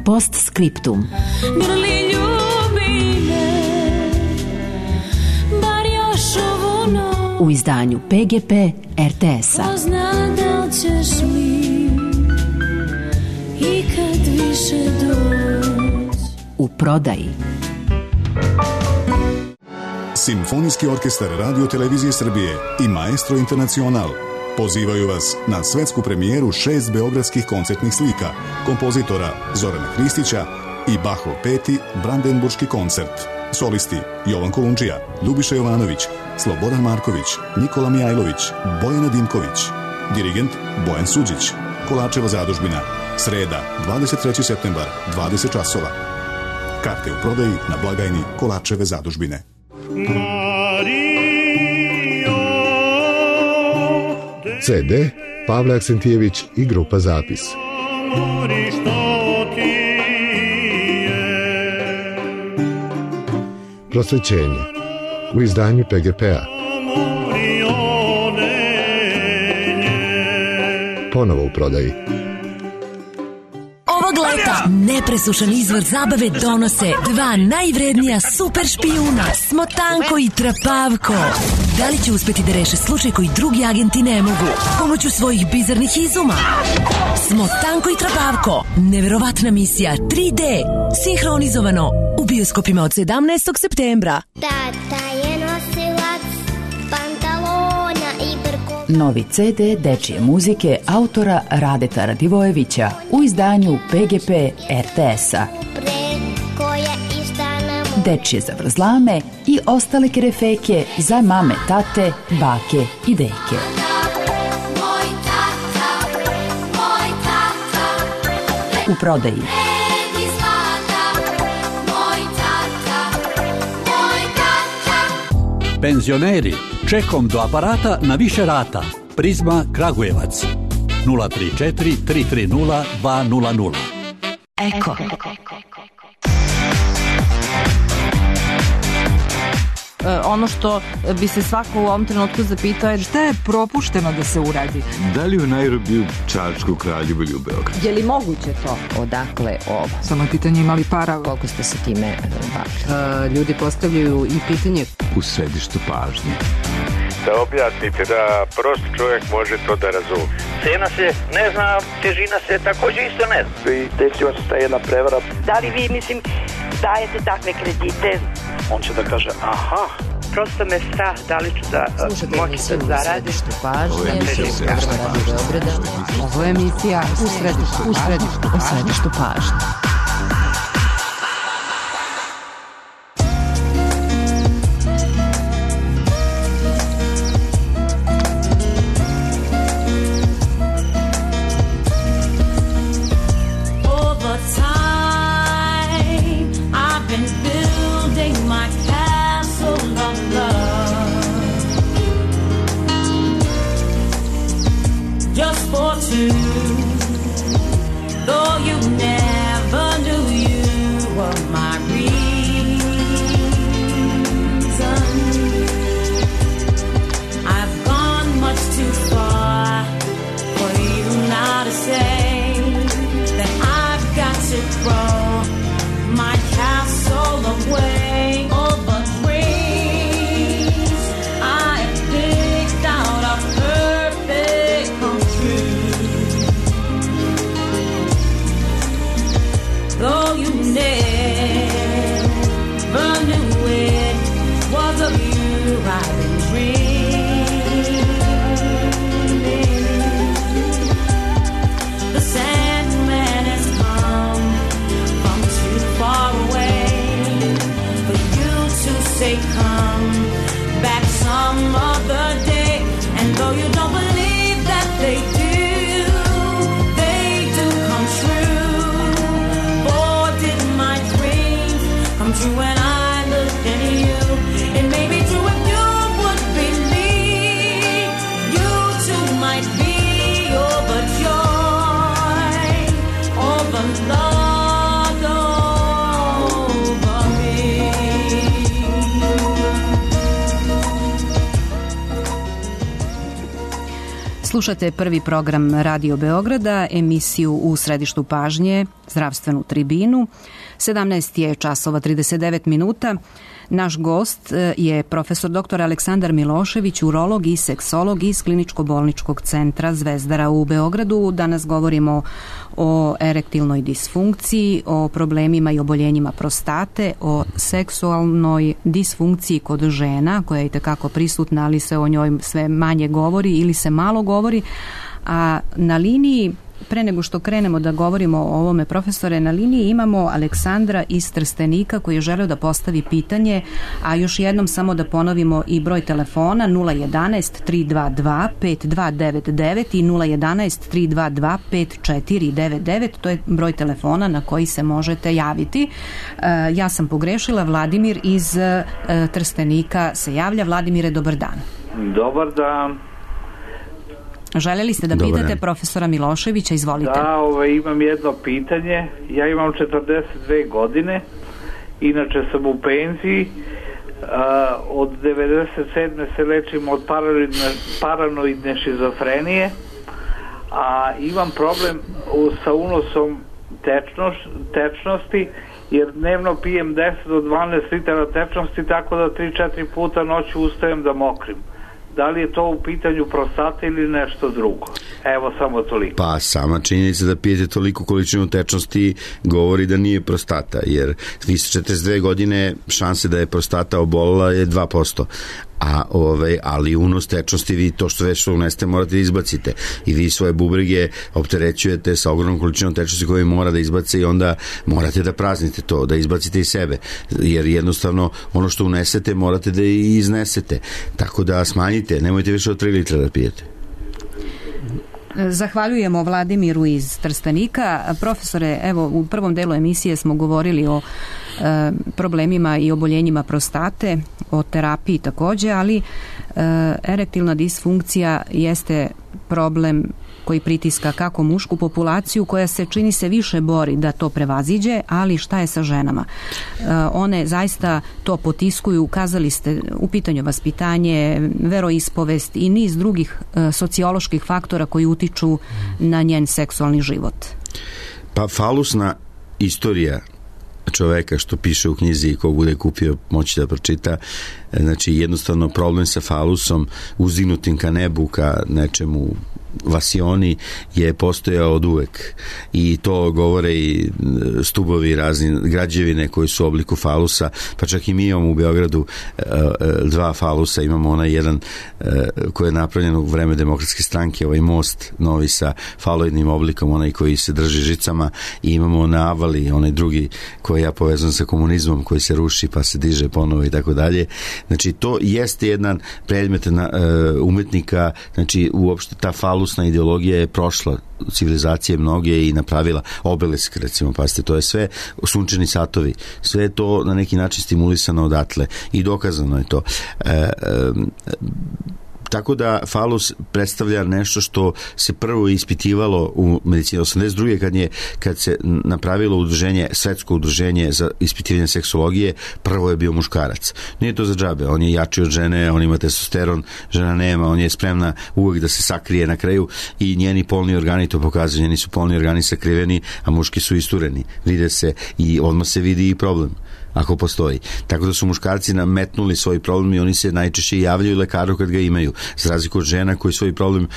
Postscriptum. Grli ljubi me, bar još ovu noć. U izdanju P G P R T S-a. Ko zna da li ćeš mi ikad više doći. U prodaji. Simfonijski orkestar Radio Televizije Srbije i Maestro Internacional pozivaju vas na svetsku premijeru šest beogradskih koncertnih slika kompozitora Zorana Hristića i Bachov peti Brandenburški koncert. Solisti Jovan Kolundžija, Ljubiša Jovanović, Slobodan Marković, Nikola Mijajlović, Bojana Dimković. Dirigent Bojan Suđić. Kolačeva zadužbina. Sreda, dvadeset treći septembar, dvadeset časova. Karte u prodaji na blagajni Kolačeve zadužbine. C D Pavle Aksentijević i grupa Zapis. Prosvećenje u izdanju P G P-a. Ponovo u prodaji. Ovog leta nepresušan izvor zabave donose dva najvrednija super špijuna, Smotanko i Trapavko. Da li će uspeti da reše slučaj koji drugi agenti ne mogu pomoću svojih bizarnih izuma? Smotanko i Trapavko, neverovatna misija tri D, sinhronizovano u bioskopima od sedamnaestog septembra. Tata je nosilac pantalona i brko. Novi C D dečije muzike autora Radeta Radivojevića u izdanju P G P R T S-a. Dečije zavrzlame i ostale kerefeke za mame, tate, bake i deke. U prodaji. Penzioneri, čekom do aparata na više rata. Prizma Kragujevac. nula tri četiri tri tri nula dva nula nula. Eko. Ono što bi se svako u ovom trenutku zapitao je šta je propušteno da se uradi. Da li u Nairobiju, Čačku, Kraljevu ili u Beogradu? Je li moguće to? Odakle ovo? Samo je pitanje imali para. Koliko ste se time bavili? Uh, ljudi postavljaju i pitanje u središtu pažnje. Da objasnite da prost čovjek može to da razumije. Cena se ne zna, težina se također isto ne zna. I desila se ta jedna prevara. Da li vi, mislim, dajete takve kredite? On će da kaže, aha. Prosto me strah, da li ću da moći da zaradim. Ovo je emisija Ovo je emisija u središtu, u središtu, u središtu pažnje. Slušate prvi program Radio Beograda, emisiju U središtu pažnje, zdravstvenu tribinu. sedamnaest je časova trideset devet minuta. Naš gost je profesor doktor Aleksandar Milošević, urolog i seksolog iz Kliničko-bolničkog centra Zvezdara u Beogradu. Danas govorimo o erektilnoj disfunkciji, o problemima i oboljenjima prostate, o seksualnoj disfunkciji kod žena, koja je itekako prisutna, ali se o njoj sve manje govori ili se malo govori. A na liniji, pre nego što krenemo da govorimo o ovome, profesore, na liniji imamo Aleksandra iz Trstenika koji je želeo da postavi pitanje, a još jednom samo da ponovimo i broj telefona nula jedanaest tri dva dva pet dva devet devet i nula jedanaest tri dva dva pet četiri devet devet, to je broj telefona na koji se možete javiti. Ja sam pogrešila, Vladimir iz Trstenika se javlja. Vladimire, dobar dan. Dobar dan. Željeli ste da Dobar pitate dan. Profesora Miloševića, izvolite. Da, ovaj, imam jedno pitanje. Ja imam četrdeset dve godine, inače sam u penziji. Uh, od devedeset sedme se lečim od paranoidne, paranoidne šizofrenije, a imam problem u, sa unosom tečnoš, tečnosti, jer dnevno pijem deset do dvanaest litara tečnosti, tako da tri četiri puta noću ustajem da mokrim. Da li je to u pitanju prostate ili nešto drugo? Evo, samo toliko. Pa sama činjenica da pijete toliko količinu tečnosti govori da nije prostata, jer vi ste četrdeset dve godine, šanse da je prostata obolila je dva posto. A, ove, ali unos tečnosti, vi to što već uneste morate da izbacite i vi svoje bubrege opterećujete sa ogromnom količinom tečnosti koju mora da izbace i onda morate da praznite to, da izbacite iz sebe, jer jednostavno ono što unesete morate da i iznesete, tako da smanjite, nemojte više od tri litra da pijete. Zahvaljujemo Vladimiru iz Trstenika. Profesore, evo, u prvom delu emisije smo govorili o e, problemima i oboljenjima prostate, o terapiji takođe, ali e, erektilna disfunkcija jeste problem koji pritiska kako mušku populaciju, koja se čini se više bori da to prevaziđe, ali šta je sa ženama? E, one zaista to potiskuju, kazali ste, u pitanju vaspitanje, veroispovest i niz drugih e, socioloških faktora koji utiču na njen seksualni život. Pa falusna istorija čoveka, što piše u knjizi i ko bude kupio moći da pročita, znači jednostavno problem sa falusom uzdignutim ka nebu, ka nečemu vasioni je postojao od uvek i to govore i stubovi razni građevine koji su u obliku falusa, pa čak i mi imamo u Beogradu dva falusa, imamo onaj jedan koji je napravljen u vreme Demokratske stranke, ovaj most novi sa faloidnim oblikom, onaj koji se drži žicama, i imamo na Avali onaj drugi koji ja povezam sa komunizmom, koji se ruši pa se diže ponovo i tako dalje. Znači to jeste jedan predmet na, uh, umetnika, znači uopšte ta falusna ideologija je prošla civilizacije mnoge i napravila obelisk, recimo, pazite, to je sve sunčani satovi, sve je to na neki način stimulisano odatle i dokazano je to. E, e, Tako da falus predstavlja nešto što se prvo ispitivalo u medicini osamdeset druge kad je kad se napravilo udruženje, svetsko udruženje za ispitivanje seksologije, prvo je bio muškarac. Nije to za džabe, on je jači od žene, on ima testosteron, žena nema, on je spremna uvek da se sakrije na kraju i njeni polni organi to pokazuju, njeni su polni organi sakriveni, a muški su istureni, vide se i odmah se vidi i problem ako postoji. Tako da su muškarci nametnuli svoj problem i oni se najčešće javljaju lekaru kad ga imaju. Za razliku od žena koji svoj problem,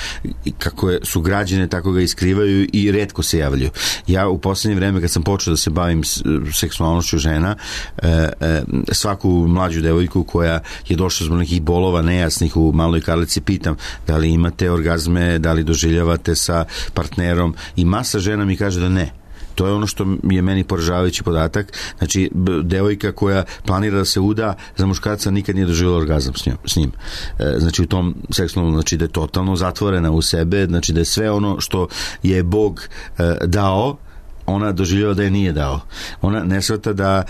kako su građene, tako ga iskrivaju i retko se javljaju. Ja u poslednje vreme kad sam počeo da se bavim seksualnošću žena, svaku mlađu devojku koja je došla zbog nekih bolova nejasnih u Maloj Karlici pitam da li imate orgazme, da li doživljavate sa partnerom, i masa žena mi kaže da ne. To je ono što je meni poražavajući podatak. Znači, devojka koja planira da se uda za muškarca nikad nije doživjela orgazam s njim. S njim. Znači, u tom seksualnom, znači da je totalno zatvorena u sebe, znači da je sve ono što je Bog dao ona doživljava da je nije dao. Ona ne shvata da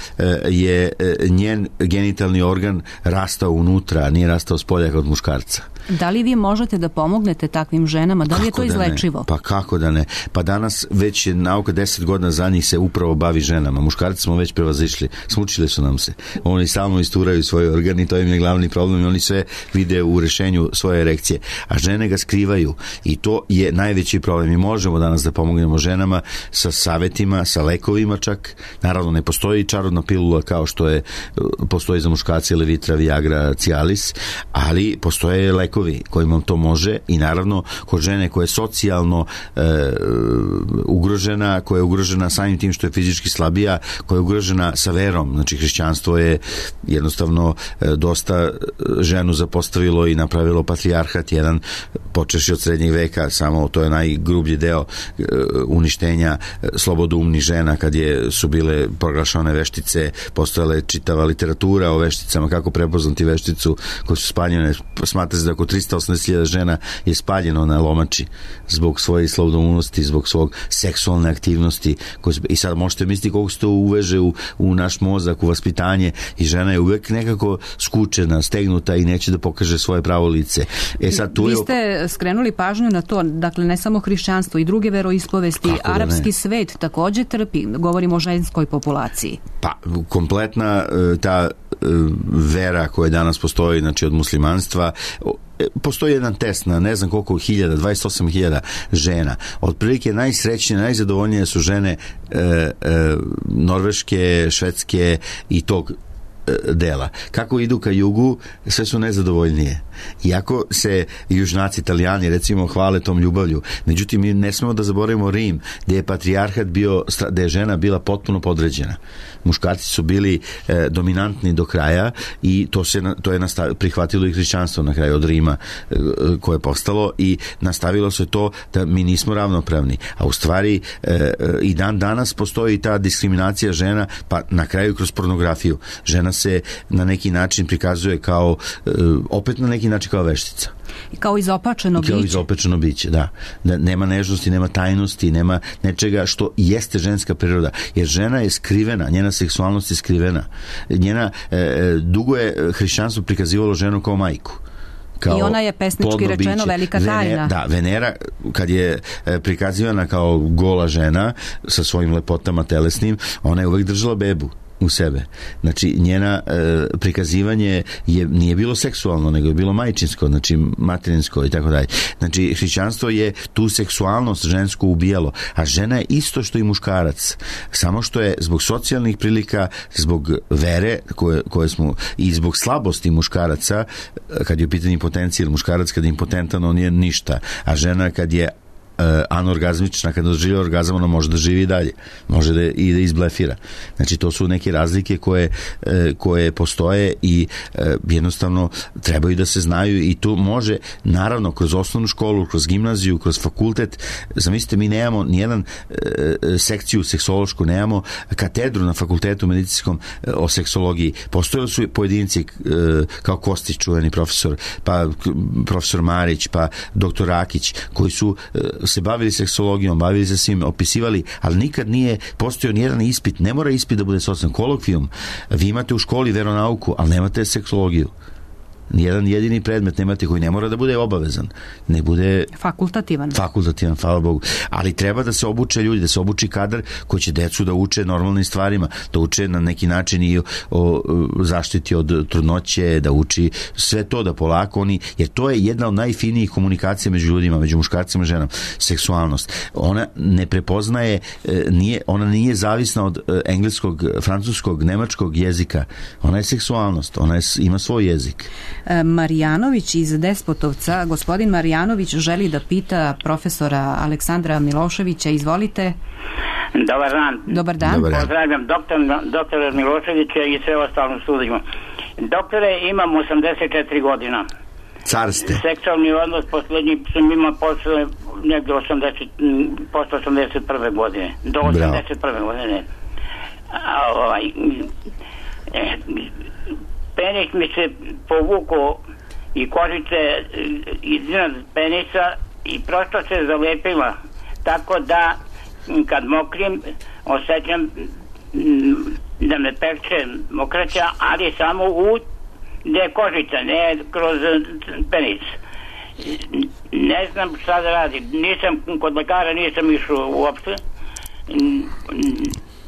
je njen genitalni organ rastao unutra, a nije rastao s polja od muškarca. Da li vi možete da pomognete takvim ženama? Da li kako je to izlečivo? Pa kako da ne? Pa danas već je nauka deset godina za njih se upravo bavi ženama. Muškarci smo već prevazišli. Smučili su nam se. Oni stalno isturaju svoj organ i to im je glavni problem i oni sve vide u rešenju svoje erekcije. A žene ga skrivaju i to je najveći problem. Mi možemo danas da pomognemo ženama sa savetima, sa lekovima čak. Naravno ne postoji čarobna pilula kao što je postoji za muškarce Levitra, Viagra, Cialis, ali postoje lekovi kojima to može i naravno kod žene koja je socijalno e, ugrožena, koja je ugrožena samim tim što je fizički slabija, koja je ugrožena sa verom, znači hrišćanstvo je jednostavno e, dosta ženu zapostavilo i napravilo patrijarhat jedan, počeši od srednjeg veka, samo to je najgrublji deo e, uništenja e, slobodoumnih žena kad je, su bile proglašane veštice, postojala je čitava literatura o vešticama, kako prepoznati vešticu koje su spaljene, smatra se da oko trista osamdeset hiljada žena je spaljeno na lomači zbog svoje slobodoumnosti, zbog svog seksualne aktivnosti. I sad možete misliti koliko se to uveže u, u naš mozak, u vaspitanje i žena je uvek nekako skučena, stegnuta i neće da pokaže svoje pravo lice. E sad, tu Vi je... ste skrenuli pažnju na to, dakle ne samo hrišćanstvo i druge veroispovesti, arapski svet takođe trpi, govorimo o ženskoj populaciji. Pa, kompletna ta vera koja danas postoji, znači od muslimanstva, postoji jedan test na ne znam koliko hiljada, dvadeset osam hiljada žena. Otprilike najsrećnije, najzadovoljnije su žene e, e, norveške, švedske i tog dela. Kako idu ka jugu, sve su nezadovoljnije. Iako se južnaci, Italijani recimo hvale tom ljubavlju. Međutim, mi ne smemo da zaboravimo Rim, gde je patrijarhat bio, gde je žena bila potpuno podređena. Muškarci su bili e, dominantni do kraja i to se to je nastav, prihvatilo i hrišćanstvo na kraju od Rima e, koje je postalo i nastavilo se to da mi nismo ravnopravni. A u stvari e, e, i dan danas postoji ta diskriminacija žena, pa na kraju kroz pornografiju. Žena se na neki način prikazuje kao e, opet na neki način kao veštica. I kao izopačeno biće. Kao izopačeno biće, da. da. Nema nežnosti, nema tajnosti, nema nečega što jeste ženska priroda. Jer žena je skrivena, njena seksualnost je skrivena. Njena, e, dugo je hrišćanstvo prikazivalo ženu kao majku. Kao i ona je pesnički rečeno biće. Velika tajna. Venera, da, Venera kad je e, prikazivana kao gola žena sa svojim lepotama telesnim, ona je uvek držala bebu u sebe. Znači, njena e, prikazivanje je, nije bilo seksualno, nego je bilo majčinsko, znači materinsko i tako dalje. Znači, hrišćanstvo je tu seksualnost žensku ubijalo, a žena je isto što i muškarac. Samo što je zbog socijalnih prilika, zbog vere koje, koje smo, i zbog slabosti muškaraca, kad je u pitanju impotencija, muškarac kad je impotentan, on je ništa, a žena kad je anorgazmična, kada doživlja orgazam, ona može da živi i dalje, može da i da izblefira. Znači to su neke razlike koje, koje postoje i jednostavno trebaju da se znaju i tu može, naravno, kroz osnovnu školu, kroz gimnaziju, kroz fakultet. Zamislite, mi nemamo nijedan sekciju seksološku, nemamo katedru na fakultetu medicinskom o seksologiji. Postojali su pojedinci kao Kostić, čuveni profesor, pa profesor Marić, pa doktor Rakić, koji su se bavili seksologijom, bavili se svim, opisivali, ali nikad nije postojao nijedan ispit. Ne mora ispit da bude socijalni kolokvijum. Vi imate u školi veronauku, ali nemate seksologiju. Nijedan jedini predmet nemate koji ne mora da bude obavezan. Ne bude fakultativan. Fakultativan, hvala Bogu. Ali treba da se obuče ljudi, da se obuči kadar koji će decu da uče normalnim stvarima, da uče na neki način i o, o zaštiti od trudnoće, da uči sve to, da polako oni, jer to je jedna od najfinijih komunikacija među ljudima, među muškarcima i ženama, seksualnost. Ona ne prepoznaje, nije, ona nije zavisna od engleskog, francuskog, nemačkog jezika. Ona je seksualnost, ona je, ima svoj jezik. Marjanović iz Despotovca. Gospodin Marjanović želi da pita profesora Aleksandra Miloševića. Izvolite. Dobar dan. Dobar dan. Dobar dan. Pozdravljam doktor, doktora Miloševića i sve ostalo studijima. Doktore, imam osamdeset četiri godina. Carste. Seksualni odnos poslednji sam imao posle negde osamdeset, posle osamdeset prve godine. Do osamdeset prve godine. A, ovaj, eh, penis mi se povukao i kožice iznad penisa i prosto se zalepila, tako da kad mokrim, osjećam da me pekče mokraća, ali samo u gde je kožica, ne kroz penis. Ne znam šta da radim. Nisam, kod lekara nisam išao uopšte.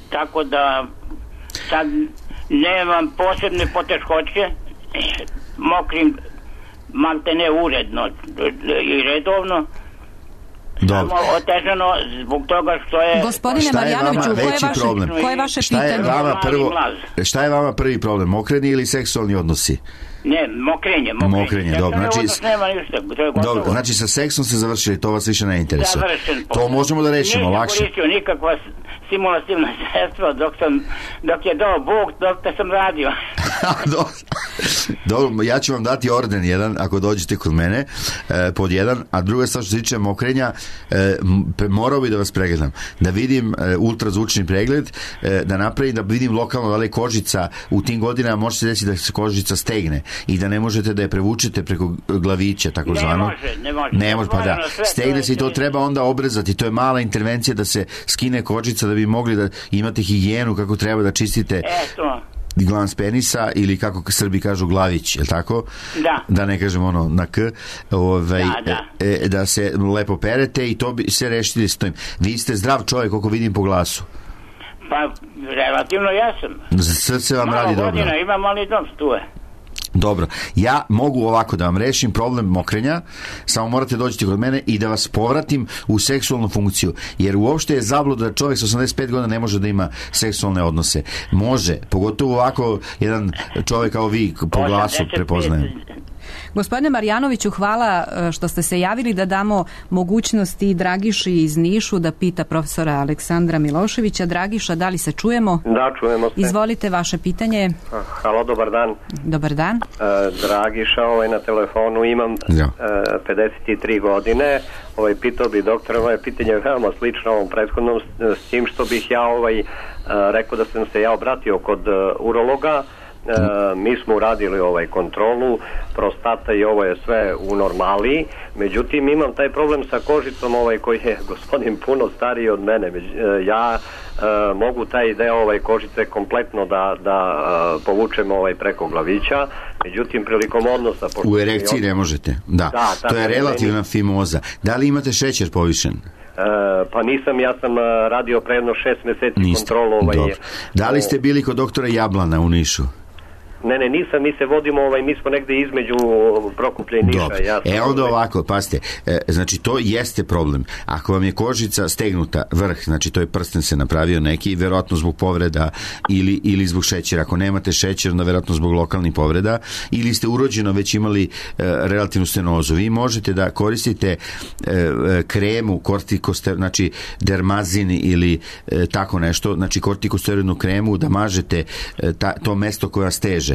Tako da sad nemam posebne poteškoće. Mokrim malte ne uredno i redovno. Samo otežano zbog toga što je... Gospodine Marjanoviću, koje je vaše, koje je vaše šta pitanje? Je vama prvo, šta je vama prvi problem? Mokrenje ili seksualni odnosi? Ne, mokrenje. Mokrenje, mokrenje dobro. Znači, nema ništa, dobro, znači sa seksom ste završili, to vas više ne interesuje. To možemo da rešimo lakše. Nisam koristio nikakva stimulativna sredstva dok, sam, dok je dao Bog, dok te sam radio. Dobro, ja ću vam dati orden jedan ako dođete kod mene, e, pod jedan, a druga stvar što se tiče mokrenja, e, morao bi da vas pregledam, da vidim e, ultrazvučni pregled, e, da napravim, da vidim lokalno da li kožica u tim godinama može se desiti da se kožica stegne i da ne možete da je prevučete preko glavića, tako zvano. Ne može, ne može. Ne može, pa da. Stegne se i to treba onda obrezati, to je mala intervencija da se skine kožica da bi mogli da imate higijenu kako treba da čistite. Eto. Glans penisa ili kako Srbi kažu glavić, je li tako? Da. Da ne kažem ono na k, ovaj, da, da. E, da se lepo perete i to bi se rešili s tim. Vi ste zdrav čovjek, koliko vidim po glasu. Pa, relativno ja sam. Srce vam malo radi dobro. Malo godina imam, ali dosta tu je. Dobro, ja mogu ovako da vam rešim problem mokrenja, samo morate doći kod mene i da vas povratim u seksualnu funkciju, jer uopšte je zabluda da čovjek s osamdeset pet godina ne može da ima seksualne odnose. Može, pogotovo ovako jedan čovjek kao vi po glasu prepoznajem. Gospodine Marjanoviću, hvala što ste se javili, da damo mogućnosti Dragiši iz Nišu da pita profesora Aleksandra Miloševića. Dragiša, da li se čujemo? Da, čujemo se. Izvolite vaše pitanje. Halo, dobar dan. Dobar dan. E, Dragiša, ovaj, na telefonu imam ja. e, pedeset tri godine. Ovaj, pitao bi doktora, ovaj pitanje je veoma slično ovom prethodnom, s, s tim što bih ja ovaj, e, rekao da sam se ja obratio kod e, urologa. E, mi smo uradili ovaj kontrolu prostata i ovo je sve u normali, međutim imam taj problem sa kožicom ovaj koji je gospodin puno stariji od mene. Među, e, ja e, mogu taj deo ovaj kožice kompletno da, da e, povučem ovaj preko glavića, međutim prilikom odnosa u erekciji ne možete, da, da to je relativna fimoza. Da li imate šećer povišen? Uh, pa nisam, ja sam uh, radio predno šest meseci Niste. kontrolu ovaj, da li ste bili kod doktora Jablana u Nišu? Ne, ne, nisam, mi se vodimo, ovaj, mi smo negde između Prokuplja i Niša. Ja e onda ovako, pazite, e, znači to jeste problem. Ako vam je kožica stegnuta, vrh, znači to je prsten se napravio neki, verovatno zbog povreda ili, ili zbog šećera. Ako nemate šećer, onda verovatno zbog lokalnih povreda, ili ste urođeno već imali e, relativnu stenozu. Vi možete da koristite e, kremu, kortikosteroidnu, znači dermazin ili e, tako nešto, znači kortikosteroidnu kremu, da mažete e, ta, to mesto koja steže.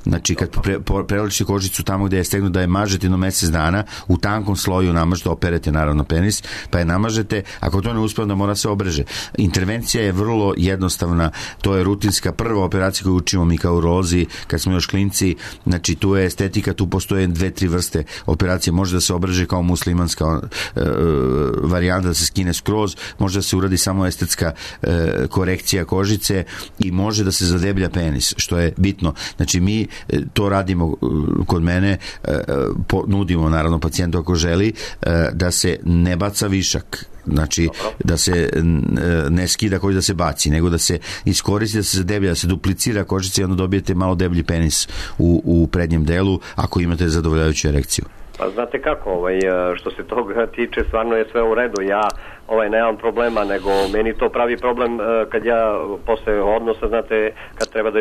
Znači kad pre, preličite kožicu tamo gde je stegnuta, da je mažete jedno mesec dana, u tankom sloju namažete, operete naravno penis, pa je namažete, ako to ne uspije onda mora se obreže. Intervencija je vrlo jednostavna, to je rutinska prva operacija koju učimo mi kao urolozi kad smo još klinci, znači tu je estetika, tu postoje dve, tri vrste operacije, može da se obreže kao muslimanska e, varijanta, da se skine skroz, može da se uradi samo estetska e, korekcija kožice i može da se zadeblja penis, što je bitno. Znači mi to radimo kod mene, nudimo naravno pacijentu ako želi da se ne baca višak, znači da se ne skida kožica da se baci, nego da se iskoristi, da se zadeblja, da se duplicira kožica i onda dobijete malo deblji penis u, u prednjem delu ako imate zadovoljavajuću erekciju. Pa znate kako, ovaj, što se toga tiče, stvarno je sve u redu. Ja ovaj, nemam problema, nego meni to pravi problem kad ja posle odnosa, znate, kad treba da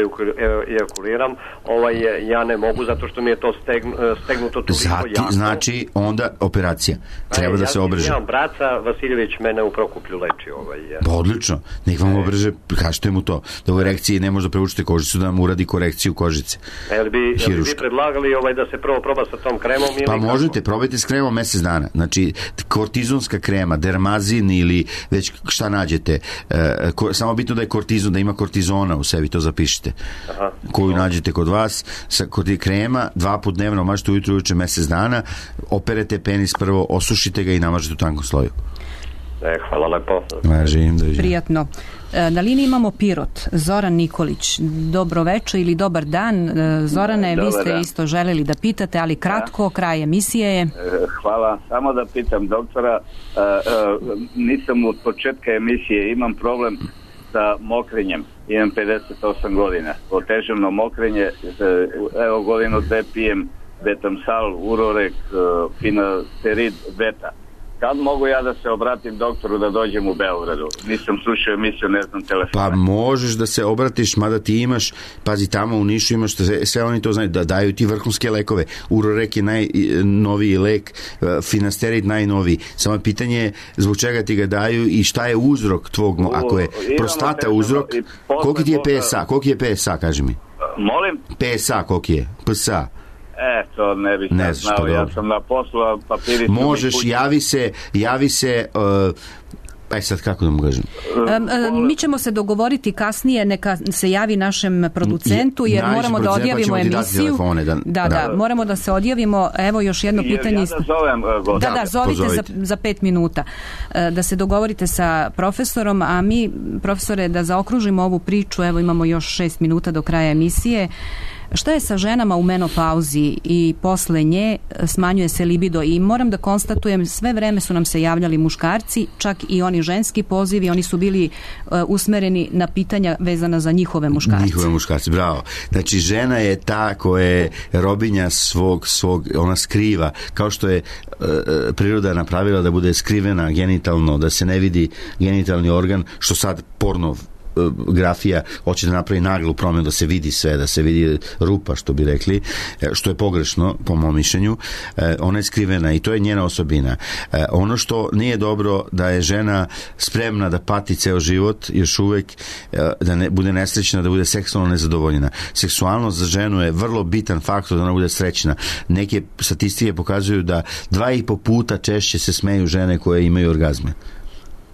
ejakuliram, ovaj, ja ne mogu zato što mi je to stegnu, stegnuto toliko Zati, jako. Znači onda operacija. Treba Aj, da ja, se obreže. Ja imam braca, Vasiljević mene u Prokuplju leči. Ovaj, ja. Pa odlično, nek vam obreže, kažete mu to, da u erekciji ne može da prevučite kožicu, da vam uradi korekciju kožice. Jel bi, jel bi predlagali ovaj, da se prvo proba sa tom kremom? Ili pa možete, probajte s kremom mesec dana. Znači, kortizonska krema, dermazin ili već šta nađete, e, ko, samo bitno da je kortizon, da ima kortizona u sebi, to zapišite. Aha. Koju nađete kod vas, sa kod krema, dva put dnevno, mažete ujutro, ujuče mesec dana, operete penis prvo, osušite ga i namažete u tankom sloju. E, hvala lepo. Važim, prijatno. Na liniji imamo Pirot, Zoran Nikolić. Dobro večer ili dobar dan. Zorane, dobar vi ste dan. Isto želeli da pitate, ali kratko, kraj emisije je. Hvala, samo da pitam doktora, nisam od početka emisije, imam problem sa mokrenjem, imam pedeset osam godina, otežano mokrenje, evo godinu da pijem Betamsal, Urorek, Finasterid, Beta. Kad mogu ja da se obratim doktoru da dođem u Beogradu? Nisam slušao emisiju, ne znam telefona. Pa možeš da se obratiš, mada ti imaš, pazi, tamo u Nišu imaš, sve, sve oni to znaju, da daju ti vrhunske lekove. Urorek je najnoviji lek, Finasterid najnoviji. Samo pitanje je zbog čega ti ga daju i šta je uzrok tvog, U, ako je prostata uzrok, koliko ti je P S A, koliko je P S A, kaži mi? Molim? P S A, koliko je? P S A. E, to ne bih ne znao, pa ja sam na poslu, papiri... Možeš, javi se, javi se... Uh, aj sad kako da mu kažem? Um, um, mi ćemo se dogovoriti kasnije, neka se javi našem producentu, jer Naši moramo da odjavimo pa emisiju. Telefone, da, da, da, da, moramo da se odjavimo. Evo još jedno pitanje. Ja da zovem, uh, da, da, zovite za, za pet minuta. Uh, da se dogovorite sa profesorom, a mi, profesore, da zaokružimo ovu priču, evo imamo još šest minuta do kraja emisije. Šta je sa ženama u menopauzi i posle nje smanjuje se libido i moram da konstatujem, sve vreme su nam se javljali muškarci, čak i oni ženski pozivi, oni su bili uh, usmereni na pitanja vezana za njihove muškarce. Njihove muškarce, bravo. Znači žena je ta koja je robinja svog, svog ona skriva, kao što je uh, priroda napravila da bude skrivena genitalno, da se ne vidi genitalni organ, što sad porno grafija hoće da napravi naglu promjenu, da se vidi sve, da se vidi rupa, što bi rekli, što je pogrešno po mom mišljenju. Ona je skrivena i to je njena osobina. Ono što nije dobro, da je žena spremna da pati ceo život, još uvek da ne, bude nesrećna, da bude seksualno nezadovoljena. Seksualnost za ženu je vrlo bitan faktor da ona bude srećna. Neke statistike pokazuju da dva i po puta češće se smeju žene koje imaju orgazme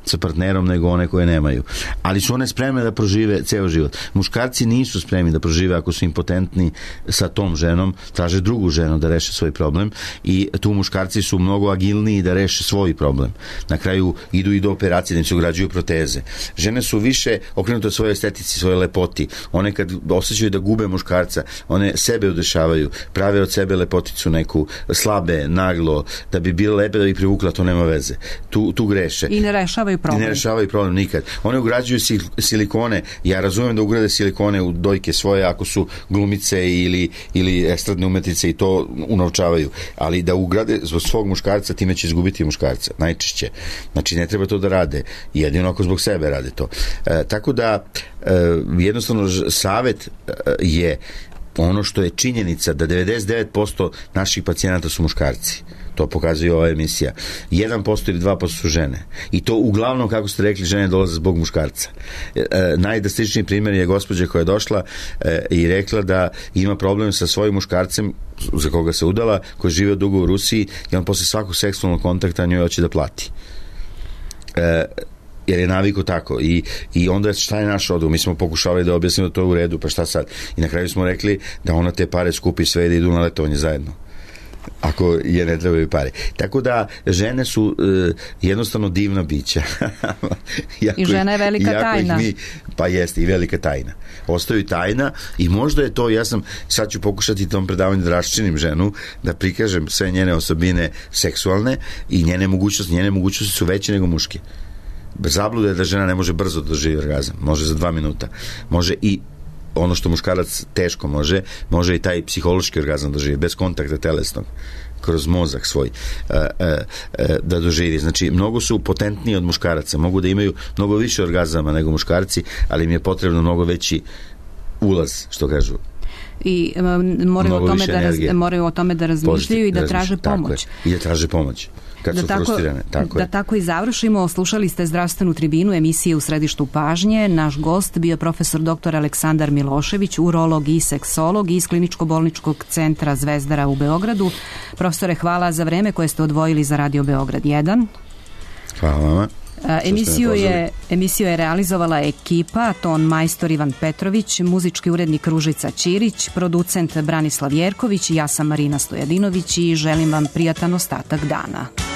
sa partnerom nego one koje nemaju. Ali su one spremne da prožive ceo život. Muškarci nisu spremni da prožive ako su impotentni sa tom ženom, traže drugu ženu da reše svoj problem i tu muškarci su mnogo agilniji da reše svoj problem. Na kraju idu i do operacije, da im se ugrađuju proteze. Žene su više okrenute svojoj estetici, svojoj lepoti. One kad osjećaju da gube muškarca, one sebe udešavaju, prave od sebe lepoticu neku, slabe, naglo, da bi bile lepe, da bi privukla, to nema veze. Tu, tu greše. I ne rešavaju problem. I ne rešavaju problem nikad. One ugrađuju silikone. Ja razumem da ugrade silikone u dojke svoje ako su glumice ili, ili estradne umetnice i to unovčavaju. Ali da ugrade zbog svog muškarca, time će izgubiti muškarca. Najčešće. Znači ne treba to da rade. Jedino ako zbog sebe rade to. E, tako da e, jednostavno savjet e, je ono što je činjenica da devedeset devet posto naših pacijenata su muškarci. To pokazuje ova emisija. jedan posto ili dva posto su žene. I to uglavnom, kako ste rekli, žene dolaze zbog muškarca. E, najdrastičniji primjer je gospođa koja je došla e, i rekla da ima problem sa svojim muškarcem za koga se udala, koji žive dugo u Rusiji i on posle svakog seksualnog kontakta njoj hoće da plati. E, jer je naviku tako i, i onda šta je naš odgovor? Mi smo pokušavali da objasnimo da to je u redu, pa šta sad? I na kraju smo rekli da ona te pare skupi sve i da idu na letovanje zajedno, ako je ne trebaju pare. Tako da žene su uh, jednostavno divna bića. I žena je velika tajna. Mi, pa jeste, i velika tajna. Ostaju tajna i možda je to, ja sam, sad ću pokušati tom predavanju da raščinim ženu, da prikažem sve njene osobine seksualne i njene mogućnosti. Njene mogućnosti su veće nego muške. Zabluda je da žena ne može brzo da doživi orgazam. Može za dva minuta. Može i ono što muškarac teško može, može i taj psihološki orgazam doživi, bez kontakta telesnog, kroz mozak svoj, da doživi. Znači, mnogo su potentniji od muškaraca, mogu da imaju mnogo više orgazama nego muškarci, ali im je potrebno mnogo veći ulaz, što kažu. I um, moraju, o tome da raz, moraju o tome da razmišljaju i da traže pomoć. I da traže pomoć. Kad da su tako, frustrirane. Tako da je. tako i završimo. Slušali ste Zdravstvenu tribinu, emisije U središtu pažnje. Naš gost bio profesor doktor Aleksandar Milošević, urolog i seksolog iz Kliničko-bolničkog centra Zvezdara u Beogradu. Profesore, hvala za vreme koje ste odvojili za Radio Beograd jedan. Hvala vama. Emisiju je, emisiju je realizovala ekipa, ton majstor Ivan Petrović, muzički urednik Ružica Ćirić, producent Branislav Jerković, ja sam Marina Stojadinović i želim vam prijatan ostatak dana.